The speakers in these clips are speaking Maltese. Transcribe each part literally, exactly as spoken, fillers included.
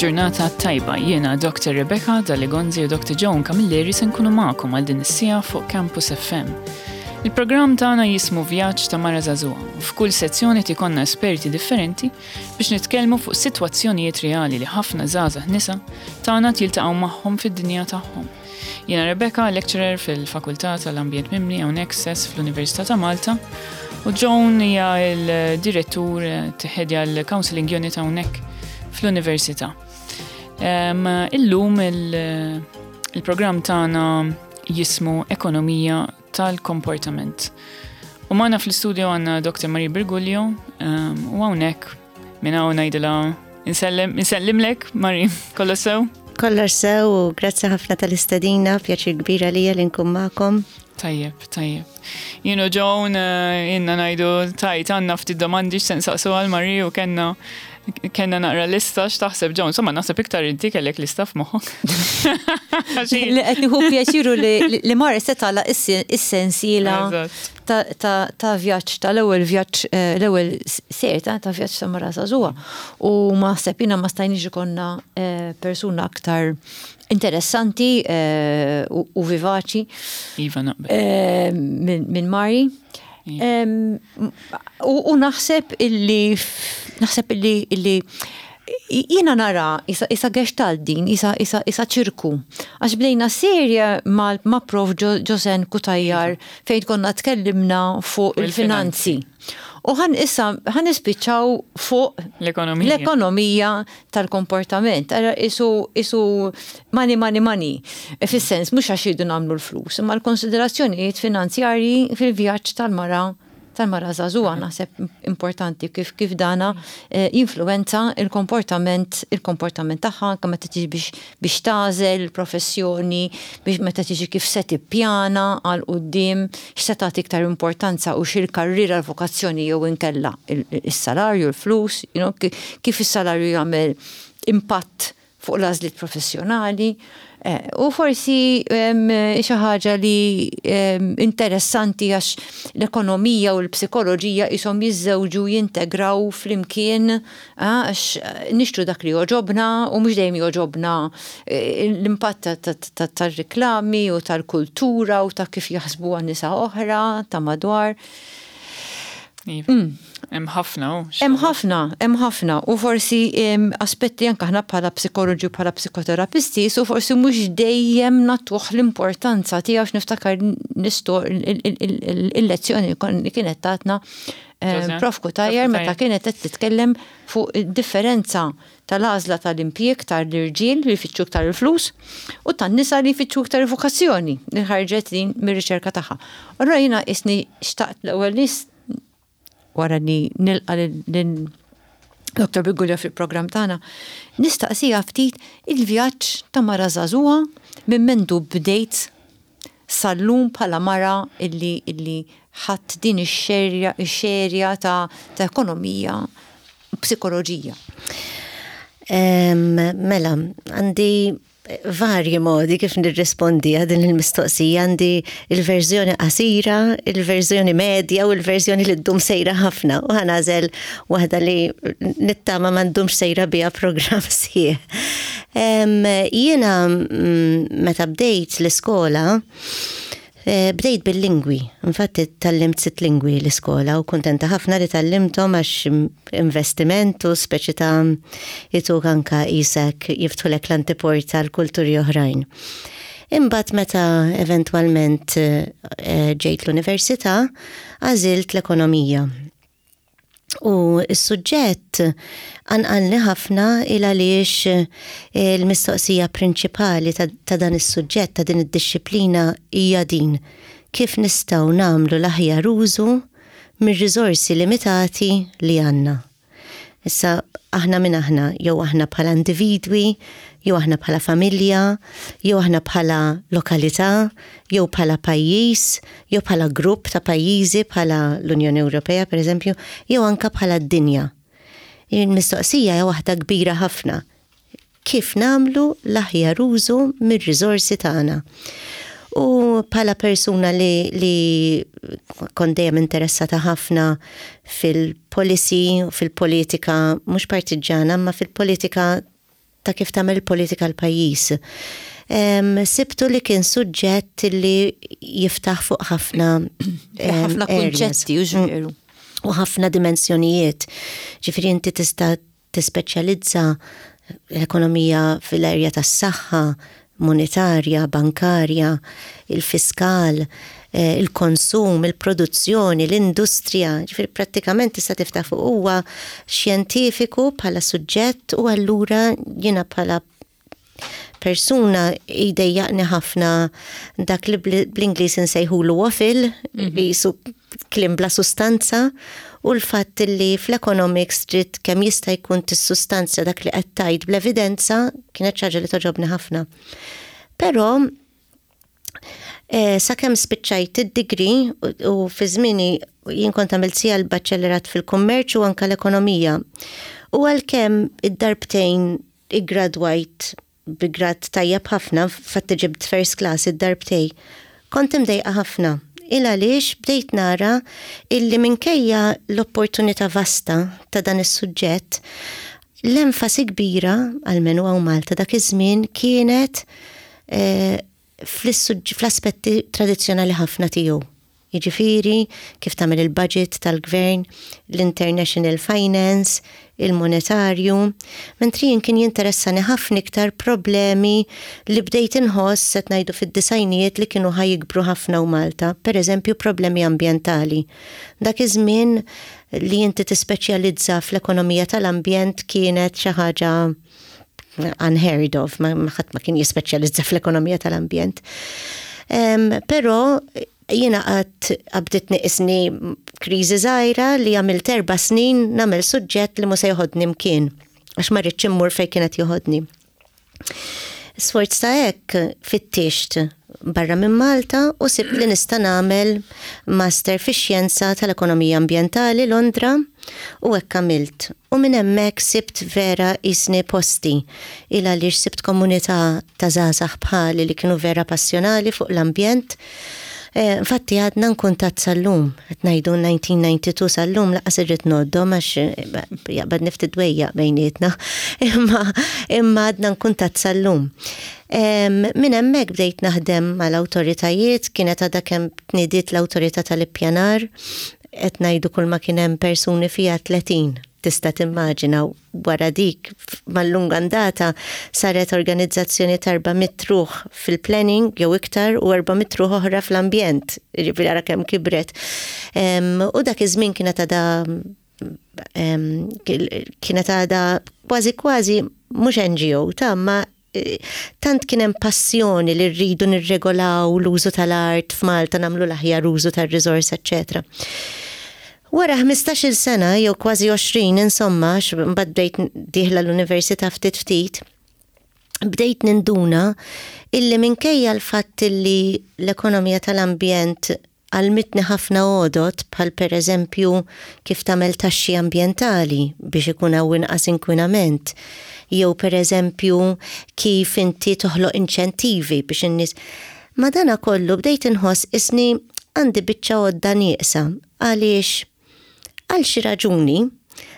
Il-ġurnata tajba. Jiena Doctor Rebecca Dalli-Gonzi u Doctor Joan Camilleri se nkunu magħkom għal din is-siegħa fuq Campus F M. Il-programm tagħna jismu Vjaġġ ta' Mara Żagħżugħa u f'kull sezzjoni ikollna esperti differenti biex nitkellmu fuq sitwazzjonijiet reali li ħafna żgħażagħ nisa tagħna jiltaqgħu magħhom fid-dinja tagħhom. Jiena Rebecca, lecturer fil-Fakultà tal-Ambjent Mibni hawnhekk stess fl-Università ta' Malta, u Joan hija l-direttur, tiħedja l-Counseling Unit hawnhekk fl-Università. Em, Illum il- il-programm tagħna jismu Ekonomija tal-Komportament. U magħna fl-studio għandna Doctor Marie Briguglio em, u hawnhekk minn hawn ngħidilha insellem insellimlek, Marie, kollox sew? Kollox sew u grazzi ħafna tal-istedina, pjaċir kbira lija li nkun magħkom. Tajjeb, tajjeb. Jien u Joan eh, inna ngħidu tajt għandna ftit domandi x'se nsaqsu għal Marie u kellna kellna naqra lista. X'taħseb, Joan? Insomma, naħseb iktar inti kellek lista f'moħħok. Li qed nieħu pjaċiru li li Mari se tagħlaq is-sensiela Eżatt. ta' ta' ta' vjaġġ tal-ewwel vjaġġ, eh, l-ewwel ser ta' ta' vjaġġ ta' mara żagħżugħa. U ma naħseb jiena ma stajniex ikollna eh, persuna aktar interessanti eh, u u vivaċi Iva, naqbel. eh, minn min Mari. Iva. Em, U u naħseb illi naħseb illi illi jiena nara isa, isa gestalt din, isa, isa, isa ċirku. Għax bdejna serje ma, ma Prof Jo- Josen Cutajar fejn konna tkellimna fuq il-finanzi. U ħan issa ħan nispiċċaw fuq l-ekonomija. L-ekonomija tal-komportament. Ara isu, isu money, money, money. E fis-sens, mhux għax jridu nagħmlu l-flus, imma l-konsiderazzjonijiet finanzjarji fil-vjaġġ tal-mara tal-mara żagħżugħa naħseb importanti kif kif dana eh, jinfluwenza il-komportament il-komportament tagħha anke meta tiġi biex biex tagħżel il-professjoni, biex meta tiġi kif se tippjana għal quddiem, x'se tagħti iktar importanza u x'il-karriera, l-vokazzjoni jew inkella il- is-salarju, il-flus, you know, ki- kif is-salarju jagħmel impatt fuq l-għażliet professjonali. Eh, U forsi em, xi ħaġa li em, interessanti għax l-ekonomija u l-psikoloġija ishom jiżżewġu, jintegraw flimkien, ah, għax eh, nixtru dak li joġobna u mhux dejjem joġobna, eh, l-impatt ta- ta- ta- tar-riklami u tal-kultura u ta' kif jaħsbu nisa oħra ta' madwar. Iva. Hemm ħafna u Hemm ħafna, hemm ħafna u forsi em, aspetti anke aħna bħala psikoloġi u bħala psikoterapisti, so forsi mhux dejjem nagħtuh l-importanza tiegħu, x'niftakar nisto il-lezzjoni li kienet tatna em, Joseanne? Prof Cutajar Prof meta Cutajar. kienet qed titkellem fuq id-differenza tal-għażla tal-impjieg tal-irġiel li jfittxu iktar il-flus u tan-nisa li jfittxu iktar il-vokazzjoni li ħarġet din mir-riċerka tagħha. Allura jiena isni xtaqt l-ewwel nies wara li nilqa lil Doctor Briguglio fil-programm tagħna, nistaqsija ftit il-vjaġġ ta' mara żagħżugħa minn mendu bdejt sal-lum bħala mara illi illi ħadd din ix-xerja ix-xerja ta' ta' ekonomija u psikoloġija. Em, Mela, għandi varji modi kif nirrispondi għal din il-mistoqsija. Għandi il-verżjoni qasira, il-verżjoni medja u il-verżjoni li ddum sejra ħafna. U ħa nagħżel waħda li nittama ma ndumx sejra biha programm sħiħ. Em, Jiena mm, meta bdejt l-iskola, eh, bdejt bil-lingwi. Infatti tgħallimt sitt lingwi l-iskola u kontenta ħafna li tgħallimthom għax investiment u speċi ta' jituk anka jisek jiftħulek l-antiporta l-kulturi oħrajn. Imbagħad meta eventwalment eh, ġejt l-università, għażilt l-ekonomija. U s-suġġett qanqalni ħafna il għaliex eh, il-mistoqsija prinċipali ta', ta dan is-suġġett, ta' din id-dixxiplina hija din: kif nistgħu nagħmlu l-aħjar użu mir-riżorsi limitati li għandna? Issa aħna minn aħna, jew aħna bħala individwi, jew aħna bħala familja, jew aħna bħala lokalità, jew bħala pajjiż, jew bħala grupp ta' pajjiżi bħala l-Unjoni Ewropea per eżempju, jew anka bħala d-dinja. Il-mistoqsija hija waħda kbira ħafna. Kif nagħmlu l-aħjar użu mir-riżorsi tagħna? U bħala persuna li, li kont dejjem interessata ħafna fil-policy, fil-politika, mhux partiġana, ma fil-politika ta' kif tagħmel politika l-pajjiż. Sibtu li kien suġġett li jiftaħ fuq ħafna ħafna kunċetti u veru. U ħafna dimensjonijiet. Ġifieri inti tista' tispeċjalizza l-ekonomija fil-erja tas-saħħa, monetarja, bankarja, il-fiskal, eh, il-konsum, il-produzzjoni, l-industrija, ġifieri prattikament tista' tiftaħ fuq huwa xjentifiku bħala suġġett u allura jiena bħala persuna jdejjaqni ħafna dak li bl-Ingliż insejħulu waffle, mhm. qisu kliem bla sustanza, u l-fatt li fl-economics trid kemm jista' jkun tissustanzja dak li qed tgħid bl-evidenza kienet xi ħaġa li togħġobni ħafna. Però eh, sakemm spiċċajt id-degree u fi żmieni jien kont għamilt sija l-baċellerat fil-kummerċ u anka l-ekonomija. U għalkemm id-darbtejn iggradwajt bi grad tajjeb ħafna, fatti ġibt first class id-darbtejn, kont imdejqa ħafna. Il għaliex bdejt nara illi minkejja l-opportunità vasta ta' dan is-suġġett, l-enfasi kbira, għalmenu hawn Malta dak iż-żmien, kienet eh, fl-aspetti tradizzjonali ħafna tiegħu. Jiġifieri kif tagħmel il-budget tal-gvern, l-international finance, il-monetarju, mentri jien kien jinteressani ħafna iktar problemi li bdejt inħoss set ngħidu fid-disgħinijiet li kienu ħa jikbru ħafna hawn Malta, per eżempju problemi ambjentali. Dak iż-żmien li inti tispeċjalizza fl-ekonomija tal-ambjent kienet xi ħaġa unheard of, ma ħadd ma kien jispeċjalizza fl-ekonomija tal-ambjent. Um, pero jiena qatt qabditni qisni kriżi żgħira li għamilt erba' snin nagħmel suġġett li mhux se joħodni mkien għax ma rridx immur fejn kienet joħodni. Sforz ta' hekk fittixt barra minn Malta u sibt li nista' nagħmel master fix-xjenza tal-ekonomija ambjentali Londra u hekk għamilt. U minn hemmhekk sibt vera qisni posti il għaliex sibt komunità ta' żgħażagħ bħali li kienu vera passjonali fuq l-ambjent. Eh, infatti għadna nkuntat sal-lum, qed ngħidu elf disa' mija u disgħa u disgħin sal-lum lanqas irrid ngħoddhom għax eh, jaqbad niftit dwejjaq bejnietna, imma imma għadna nkuntat sal-lum. Minn hemmhekk bdejt naħdem mal-awtoritajiet, kienet għadha kemm tnidiet l-awtorità tal-ippjanar, qed ngħidu kull ma kien hemm persuni fiha tletin, tista' timmaġina. Wara dik mal-lunga andata saret organizzazzjoni ta' erba' mitt ruħ fil-planning jew iktar u erba' mitt ruħ oħra fl-ambjent, ġifieri ara kemm kibret. U dak iż-żmien kienet għadha kienet għadha kważi kważi mhux N G O ta' ma eh, tant kien hemm passjoni li rridu nirregolaw l-użu tal-art f'Malta, nagħmlu l-aħjar użu tar-riżorsa, eċċetera. Wara ħmistax-il sena jew kważi għoxrin insomma, mbagħad bdejt dieħla l-università ftit ftit, bdejt ninduna illi minkejja l-fatt illi l-ekonomija tal-ambjent għallmitni ħafna għodot bħal per eżempju kif tagħmel taxxi ambjentali biex ikun hawn inqas inkwinament, jew per eżempju kif inti toħloq inċentivi biex in-nies. Ma dana kollu bdejt inħoss qisni għandi biċċa għodda nieqsa għaliex għal xi raġuni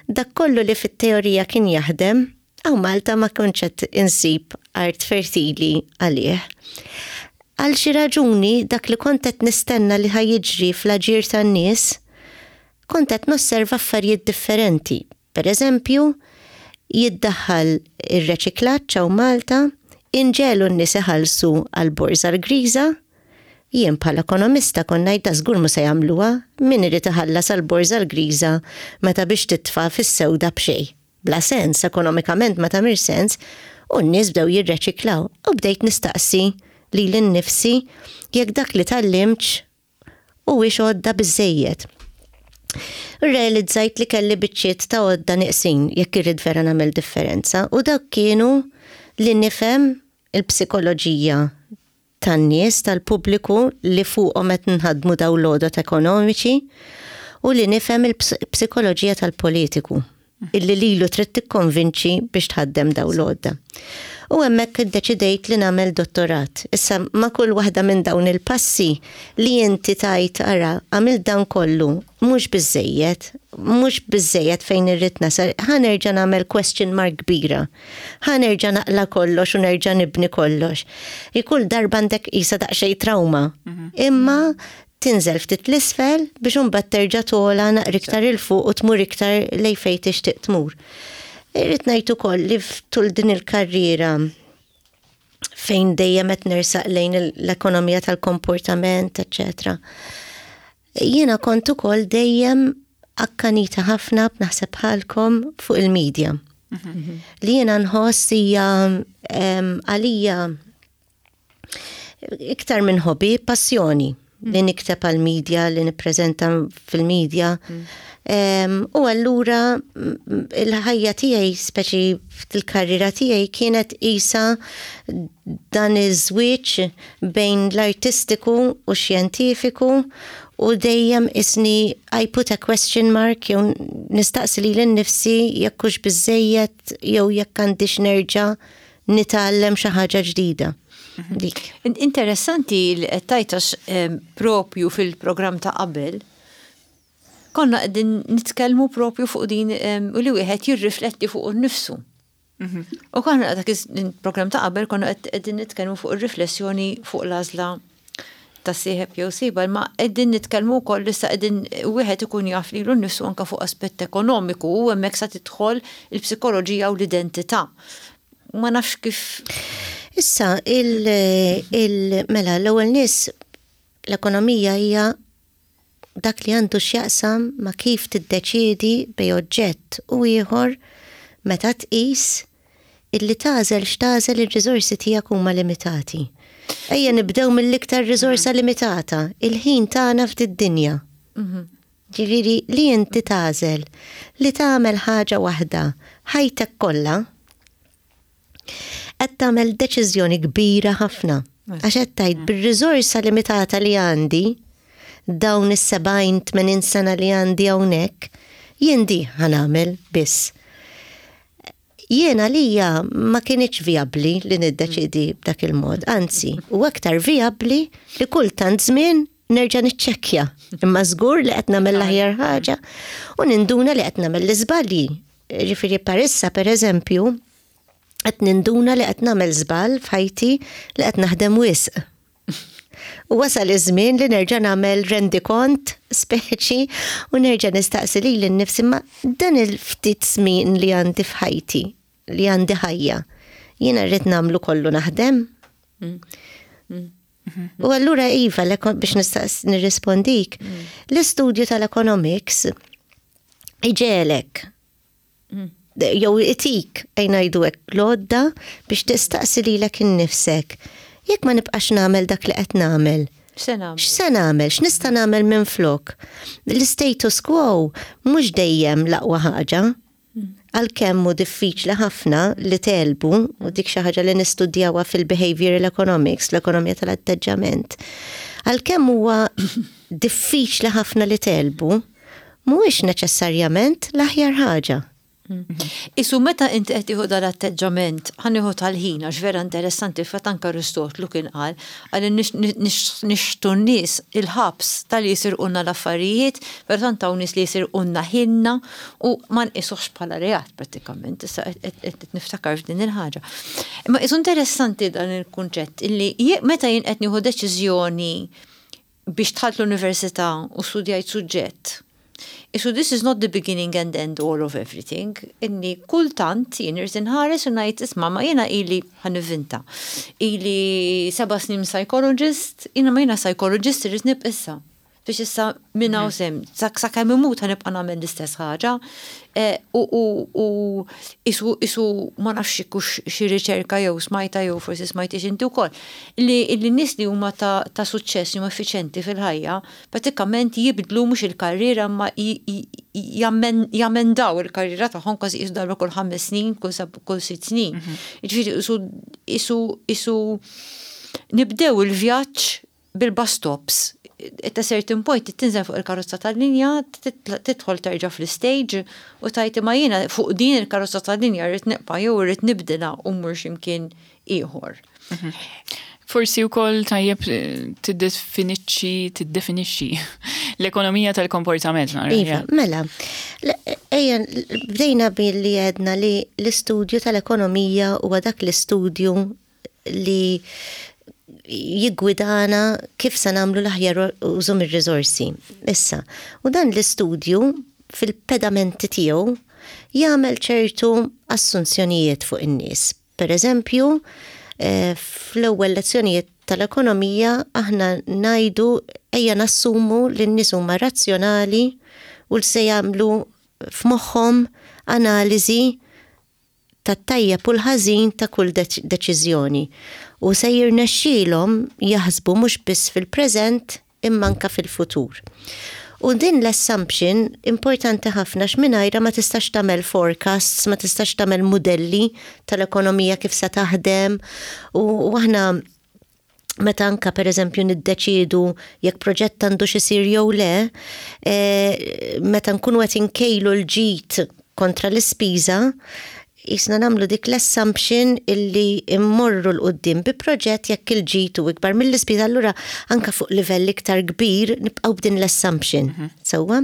dak kollu li fit-teorija kien jaħdem hawn Malta ma kontx qed insib art fertili għalih. Għal xi raġuni dak li kont qed nistenna li ħa jiġri fl-aġir tan-nies, kont qed nosserva affarijiet differenti. Per eżempju, jiddaħħal ir-reċiklaġġ hawn Malta, inġegħlu n-nies iħallsu għal borża l-griża, jien bħala ekonomista kont ngħid żgur mhux se jagħmluha, min irid iħallas għal borża l-griża meta biex titfa' fis-sewda b'xejn. Bla sens, ekonomikament ma tagħmilx sens, u n-nies bdew jirreċiklaw. U bdejt nistaqsi lili nnifsi jekk dak li tgħallimt huwiex għodda biżejjed. Realizzajt li kelli biċċiet ta' għodda neqsin jekk irrid vera nagħmel differenza u dak kienu li nifhem il-psikoloġija tan-nies, tal-pubbliku li fuqhom qed nħadmu dawn l-għodot ekonomiċi u li nifhem il-psikoloġija tal-politiku illi lilu trid tikkonvinċi biex tħaddem dawn l-għodda. U hemmhekk iddeċidejt li nagħmel dottorat. Issa ma' kull waħda minn dawn il-passi li inti tajt ara għamil dan kollu mhux biżejjed Mhux biżejjed fejn irrid nasal, ħa nerġa' nagħmel question mark kbira. Ħa nerġa' naqla' kollox u nerġa' nibni kollox. Kull darba għandek qisha daqsxejn trauma. Mhm. Imma tinżel ftit l-isfel biex imbagħad terġa' togħla naqra iktar 'il fuq u tmur iktar lejn fejn tixtieq tmur. Irrid ngħid ukoll li tul din il-karriera fejn dejjem qed nersaq lejn l-ekonomija tal-komportament, eċċetera. Jiena kont ukoll dejjem akkanita ħafna, naħseb bħalkom, fuq il-medja. Mhm. Li jiena nħoss hija għalija iktar minn hobby, passjoni li nikteb għal-medja, li nippreżenta fil-medja. U allura il-ħajja tiegħi, speċi fil-karriera tiegħi, kienet qisha dan iż-żwieġ bejn l-artistiku u xjentifiku u dejjem isni I put a question mark jew nistaqsi lili nnifsi jekk hux biżejjed jew jekk għandix nerġa' nitgħallem xi ħaġa ġdida. Dik. Interessanti li qed tgħid, propju fil-programm ta' qabel konna qegħdin nitkellmu propju fuq din u li wieħed jirrifletti fuq innifsu. Mhm. U konna dak il-programm ta' qabel konna qegħdin nitkellmu fuq ir-riflessjoni fuq l-għażla ta' sieħeb jew sieħba, ma qegħdin nitkellmu wkoll issa qegħdin wieħed ikun jaf lilu nnifsu anke fuq aspett ekonomiku u hemmhekk sa tidħol il-psikoloġija u l-identità. Ma nafx kif. Issa, il, il mela, l-ewwel nies, l-ekonomija hija dak li għandu x'jaqsam ma' kif tiddeċiedi bejn oġġett u ieħor meta tqis illi tagħżel x'tagħżel ir-riżorsi tiegħek huma limitati. Ejja nibdew mill-iktar riżorsa limitata, il-ħin tagħna f'did-dinja. Ġifieri li inti tagħżel li tagħmel ħaġa waħda ħajtek kollha, qed tagħmel deċiżjoni kbira ħafna. Għax qed tgħid, bir-riżorsa limitata li għandi, dawn is-sebgħin tmenin sena li għandi hawnhekk, jien di ħa nagħmel biss. Jiena lija ma kinitx vijabbli li niddeċidi b'dak il-mod, anzi, u aktar vijabbli li kultant żmien nerġa' niċċekkja. Imma żgur li qed nagħmel l-aħjar ħaġa u ninduna li qed nagħmel l-iżbalji. Ġifieri parissa, per eżempju, qed ninduna li qed nagħmel żball f'ħajti li qed naħdem wisq. U wasal iż-żmien li nerġa' nagħmel rendikont speċi u nerġa' nistaqsi lili nnifsi, ma dan il-ftit żmien li għandi f'ħajti, li għandi ħajja, jiena rrid nagħmlu kollu naħdem? U allura iva, biex nistaqs nirrispondik, l-istudju tal-economics iġegħlek jew itik, ejja ngħidu hekk, l-għodda biex tistaqsi lilek innifsek. Jekk ma nibqax nagħmel dak li qed nagħmel, x'se nagħmel? X'se nagħmel? X'nista' nagħmel minn flok? L-status quo mhux dejjem l-aqwa ħaġa. Għalkemm hu diffiċli ħafna li tegħlbu, u dik xi ħaġa li nistudjawha fil-behavioral economics, l-ekonomija tal-atteġġament. Għalkemm huwa diffiċli ħafna li tegħlbu, mhuwiex neċessarjament l-aħjar ħaġa. Isu meta inti qed tieħu dal-atteġġament, ħa nieħu tal-ħin, għax vera interessanti, fatt anke Aristotlu kien qal għal nixtu n-nies il-ħabs tal jisirqulna l-affarijiet, però tant hawn nies li jisirqulna ħinna u ma nqisuhx bħala reat prattikament, issa qed niftakar f'din il-ħaġa. Imma isu interessanti dan il-kunċett illi meta jien qed nieħu deċiżjoni biex dħalt l-università u studjajt suġġett, isu this is not the beginning and end all of everything. Inni kultant jien irrid inħares u ngħid, isma', ma jiena ili, ħa nivvinta, ili seba' snin psychologist, jiena ma jiena psychologist irrid nibqa' issa. Biex issa minn hawn sem, sakemm imut ħa nibqa' nagħmel l-istess ħaġa. U u isu isu ma nafx kux xi riċerka jew smajta jew forsi smajtix inti wkoll. Li n-nies li huma ta' suċċess, huma effiċenti fil-ħajja, pratikament jibdlu mhux il-karriera ma jamendaw il-karriera tagħhom kważi qisu darba kull ħames snin, kull sitt snin. Jiġifieri isu isu isu nibdew il-vjaġġ bil-bus stops. At a certain point tinżel fuq il-karozza tal-linja, tidħol terġa' fl-stage u tgħid, ma jiena fuq din il-karozza tal-linja rrid nibqa' jew rrid nibdilha u mmur x'imkien ieħor. Forsi wkoll tajjeb eh, tiddefinixxi tiddefinixxi l-ekonomija tal-komportament nara. Iva, mela, ejja, bdejna billi għedna li l-istudju tal-ekonomija huwa dak l-istudju li jiggwidana kif se nagħmlu l-aħjar użu mir-riżorsi. Issa, u dan l-istudju fil-pedamenti tiegħu jagħmel ċertu assunzjonijiet fuq in-nies. Per eżempju, eh, fl-ewwel lezzjonijiet tal-ekonomija aħna ngħidu ejja nassumu li n-nies huma razzjonali u li se jagħmlu f'moħħhom analiżi tat-tajjeb u l-ħażin ta' kull deċiżjoni u se jirnexxielhom jaħsbu mhux biss fil-preżent imma anka fil-futur. U din l-assumption importanti ħafna x'mingħajra ma tistax tagħmel forecasts, ma tistax tagħmel modelli tal-ekonomija kif se taħdem u aħna meta anka per eżempju niddeċidu jekk proġett għandu xisir jew le, e, meta nkunu qed inkejlu l-ġid kontra l-ispiża, jisna nagħmlu dik l-assumption illi immorru 'l quddiem bi proġett jekk il-ġid hu ikbar mill-ispiża, allura anka fuq livell iktar kbir nibqgħu b'din l-assumption. Mhm. Sewwa?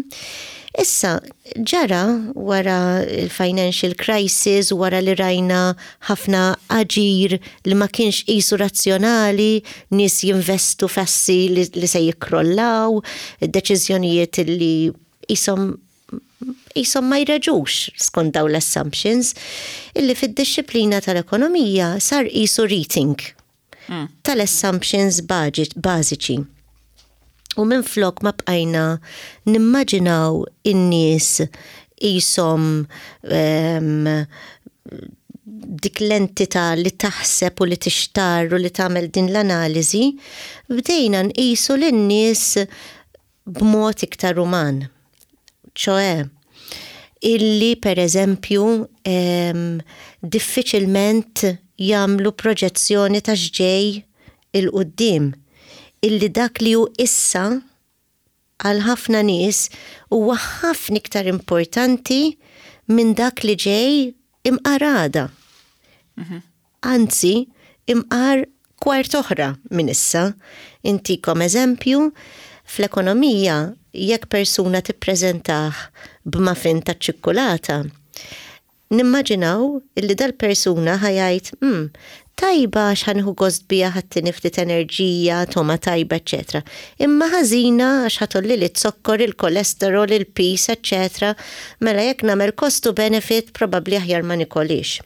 Issa, ġara wara il-financial crisis, wara li rajna ħafna aġir li ma kienx qisu razzjonali, nies jinvestu f'assi li, li se jikrollaw, deċiżjonijiet li qishom qishom ma jreġux skont daw l-assumptions, illi fid-dixxiplina tal-ekonomija sar qisu rethink mm. tal-assumptions bażiċi. U minn flok ma bqajna nimmaġinaw in-nies qishom um, dik l-entità li taħseb u li tixtar u li tagħmel din l-analiżi, bdejna nqisu lin-nies b'mod iktar uman. ċoè, illi per eżempju diffiċilment jagħmlu proġezzjoni ta' x'ġej 'il quddiem, illi dak li hu issa għal ħafna nies huwa ħafna iktar importanti minn dak li ġej imqar għada. Mhm. Anzi, imqar kwart oħra minn issa. Intikom eżempju, fl-ekonomija jekk persuna tippreżentah b'muffin ta' ċikkulata, nimmaġinaw illi dal-persuna ħa jgħid, hmm, tajba għax ħa nieħu gost biha, ħa ttini ftit enerġija, togħma tajba, eċċetera. Imma ħażina għax ħa tgħollili z-zokkor, il-kolesterol, il-piż, eċċetera. Mela jekk nagħmel cost to benefit, probabbli aħjar ma nikolix.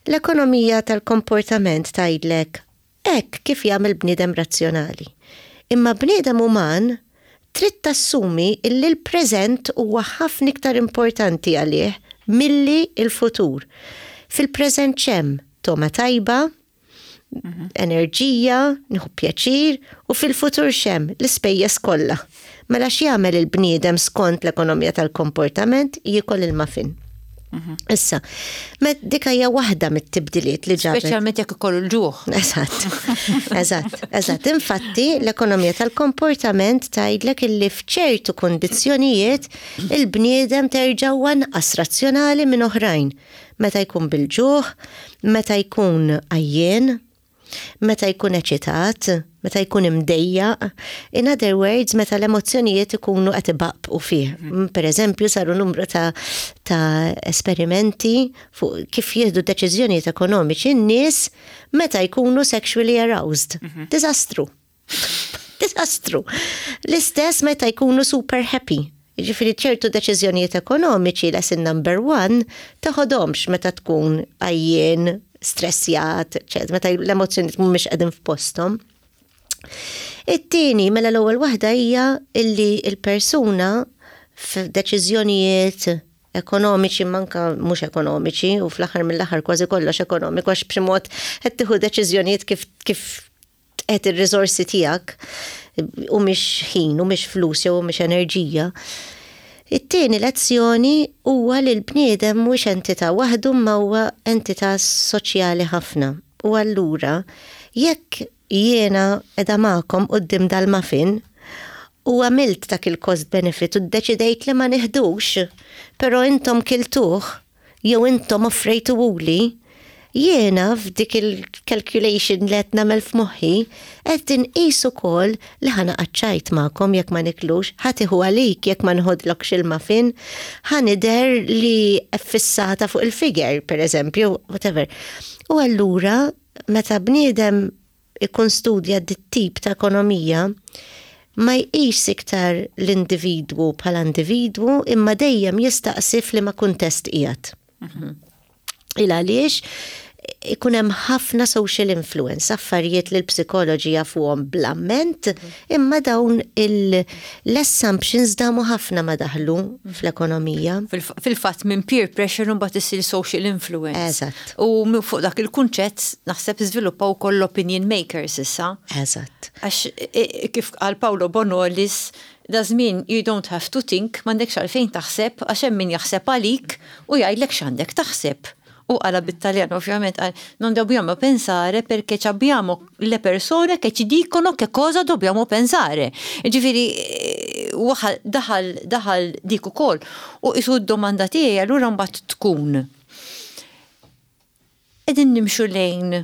L-ekonomija tal-komportament tgħidlek hekk kif jagħmel bniedem razzjonali. Imma bniedem uman trid tassumi illi l-preżent huwa ħafna iktar importanti għalih milli il-futur. Fil-preżent x'hemm? Togħma tajba, mhm. enerġija, nieħu pjaċir, u fil-futur x'hemm? L-ispejjeż kollha. Mela x'jagħmel il-bniedem skont l-ekonomija tal-komportament? Jiekol il-muffin. Mhm. Issa, dik hija waħda mit-tibdiliet li ġabet. Speċjalment jekk ikollu l-ġuħ. Eżatt, eżatt, eżatt. Infatti, l-ekonomija tal-komportament tgħidlek illi f'ċertu kondizzjonijiet il-bniedem terġa' anqas razzjonali minn oħrajn. Meta jkun bil-ġuħ, meta jkun għajjien, meta jkun eċitat, meta jkun imdejjaq. In other words, meta l-emozzjonijiet ikunu qed ibaqbqu fih. Mhm. Per eżempju, saru numru ta', ta esperimenti fuq kif jieħdu deċiżjonijiet ekonomiċi n-nies meta jkunu sexually aroused. Mhm. Diżastru. Diżastru. L-istess meta jkunu super happy. Ġifieri ċertu deċiżjonijiet ekonomiċi, lesson number one, teħodhomx meta tkun għajjien, stressjat, meta l-emozzjonijiet mhumiex qegħdin f'posthom. It-tieni, mela l-ewwel waħda hija illi il-persuna f'deċiżjonijiet ekonomiċi, manka mhux ekonomiċi, u fl-aħħar mill-aħħar kważi kollox ekonomiku għax b'xi mod qed tieħu deċiżjonijiet kif kif qed ir-riżorsi tiegħek u mhix ħin u mhix flus jew mhix enerġija. It-tieni lezzjoni huwa li l-bniedem mhux entità waħdu ma huwa entità soċjali ħafna. U allura jekk jiena qiegħda magħkom quddiem dal-muffin u għamilt dak il-cost benefit u ddeċidejt li ma niħdux, pero intom kiltuh jew intom offrejtuhuli, Jiena f'dik il-calculation li qed nagħmel f'moħħi qed inqis ukoll li ħa naqgħod magħkom jekk ma niklux, ħa tieħu għalik jekk ma nħodlokx il-muffin, ħa nidher li fissata fuq il-figure, per eżempju, whatever. U allura meta bniedem ikun studja dit-tip ta' ekonomija, ma jqis iktar l-individwu bħala individwu imma dejjem jistaqsi f'liema kuntest qiegħed. Il għaliex ikun hemm ħafna social influence, affarijiet li l-psikoloġi jafuhom bl-amment, imma dawn l-assumptions damu ħafna ma daħlu fl-ekonomija. Fil-fatt minn peer pressure mbagħad isir social influence. Eżatt. U minn fuq dak il-kunċett naħseb iżviluppaw ukoll opinion makers issa. Eżatt. Għax kif qal Paolo Bonolis, da żmien you don't have to think, m'għandekx għalfejn taħseb, għax hemm min jaħseb għalik u jgħidlek x'għandek taħseb. U qalha bit-Taljan ovvjament qal non dobbiamo pensare perché abbiamo le persone che ci dicono che cosa dobbiamo pensare. Ġifieri, daħal daħal dik ukoll. U isu d-domanda tiegħi allura mbagħad tkun. Qegħdin nimxu lejn,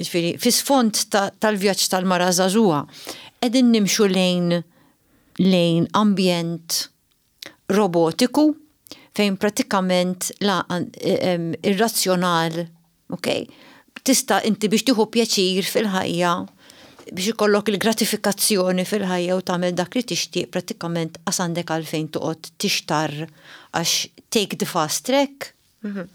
ġifieri, fi sfond tal-vjaġġ tal-mara żagħżugħa, qegħdin nimxu lejn lejn ambjent robotiku fejn pratikament la irrazzjonal, ok? Tista' inti biex tieħu pjaċir fil-ħajja, biex ikollok il-gratifikazzjoni fil-ħajja u tagħmel dak li tixtieq pratikament qas għandek għalfejn toqgħod tixtar għax take the fast track. Mhm.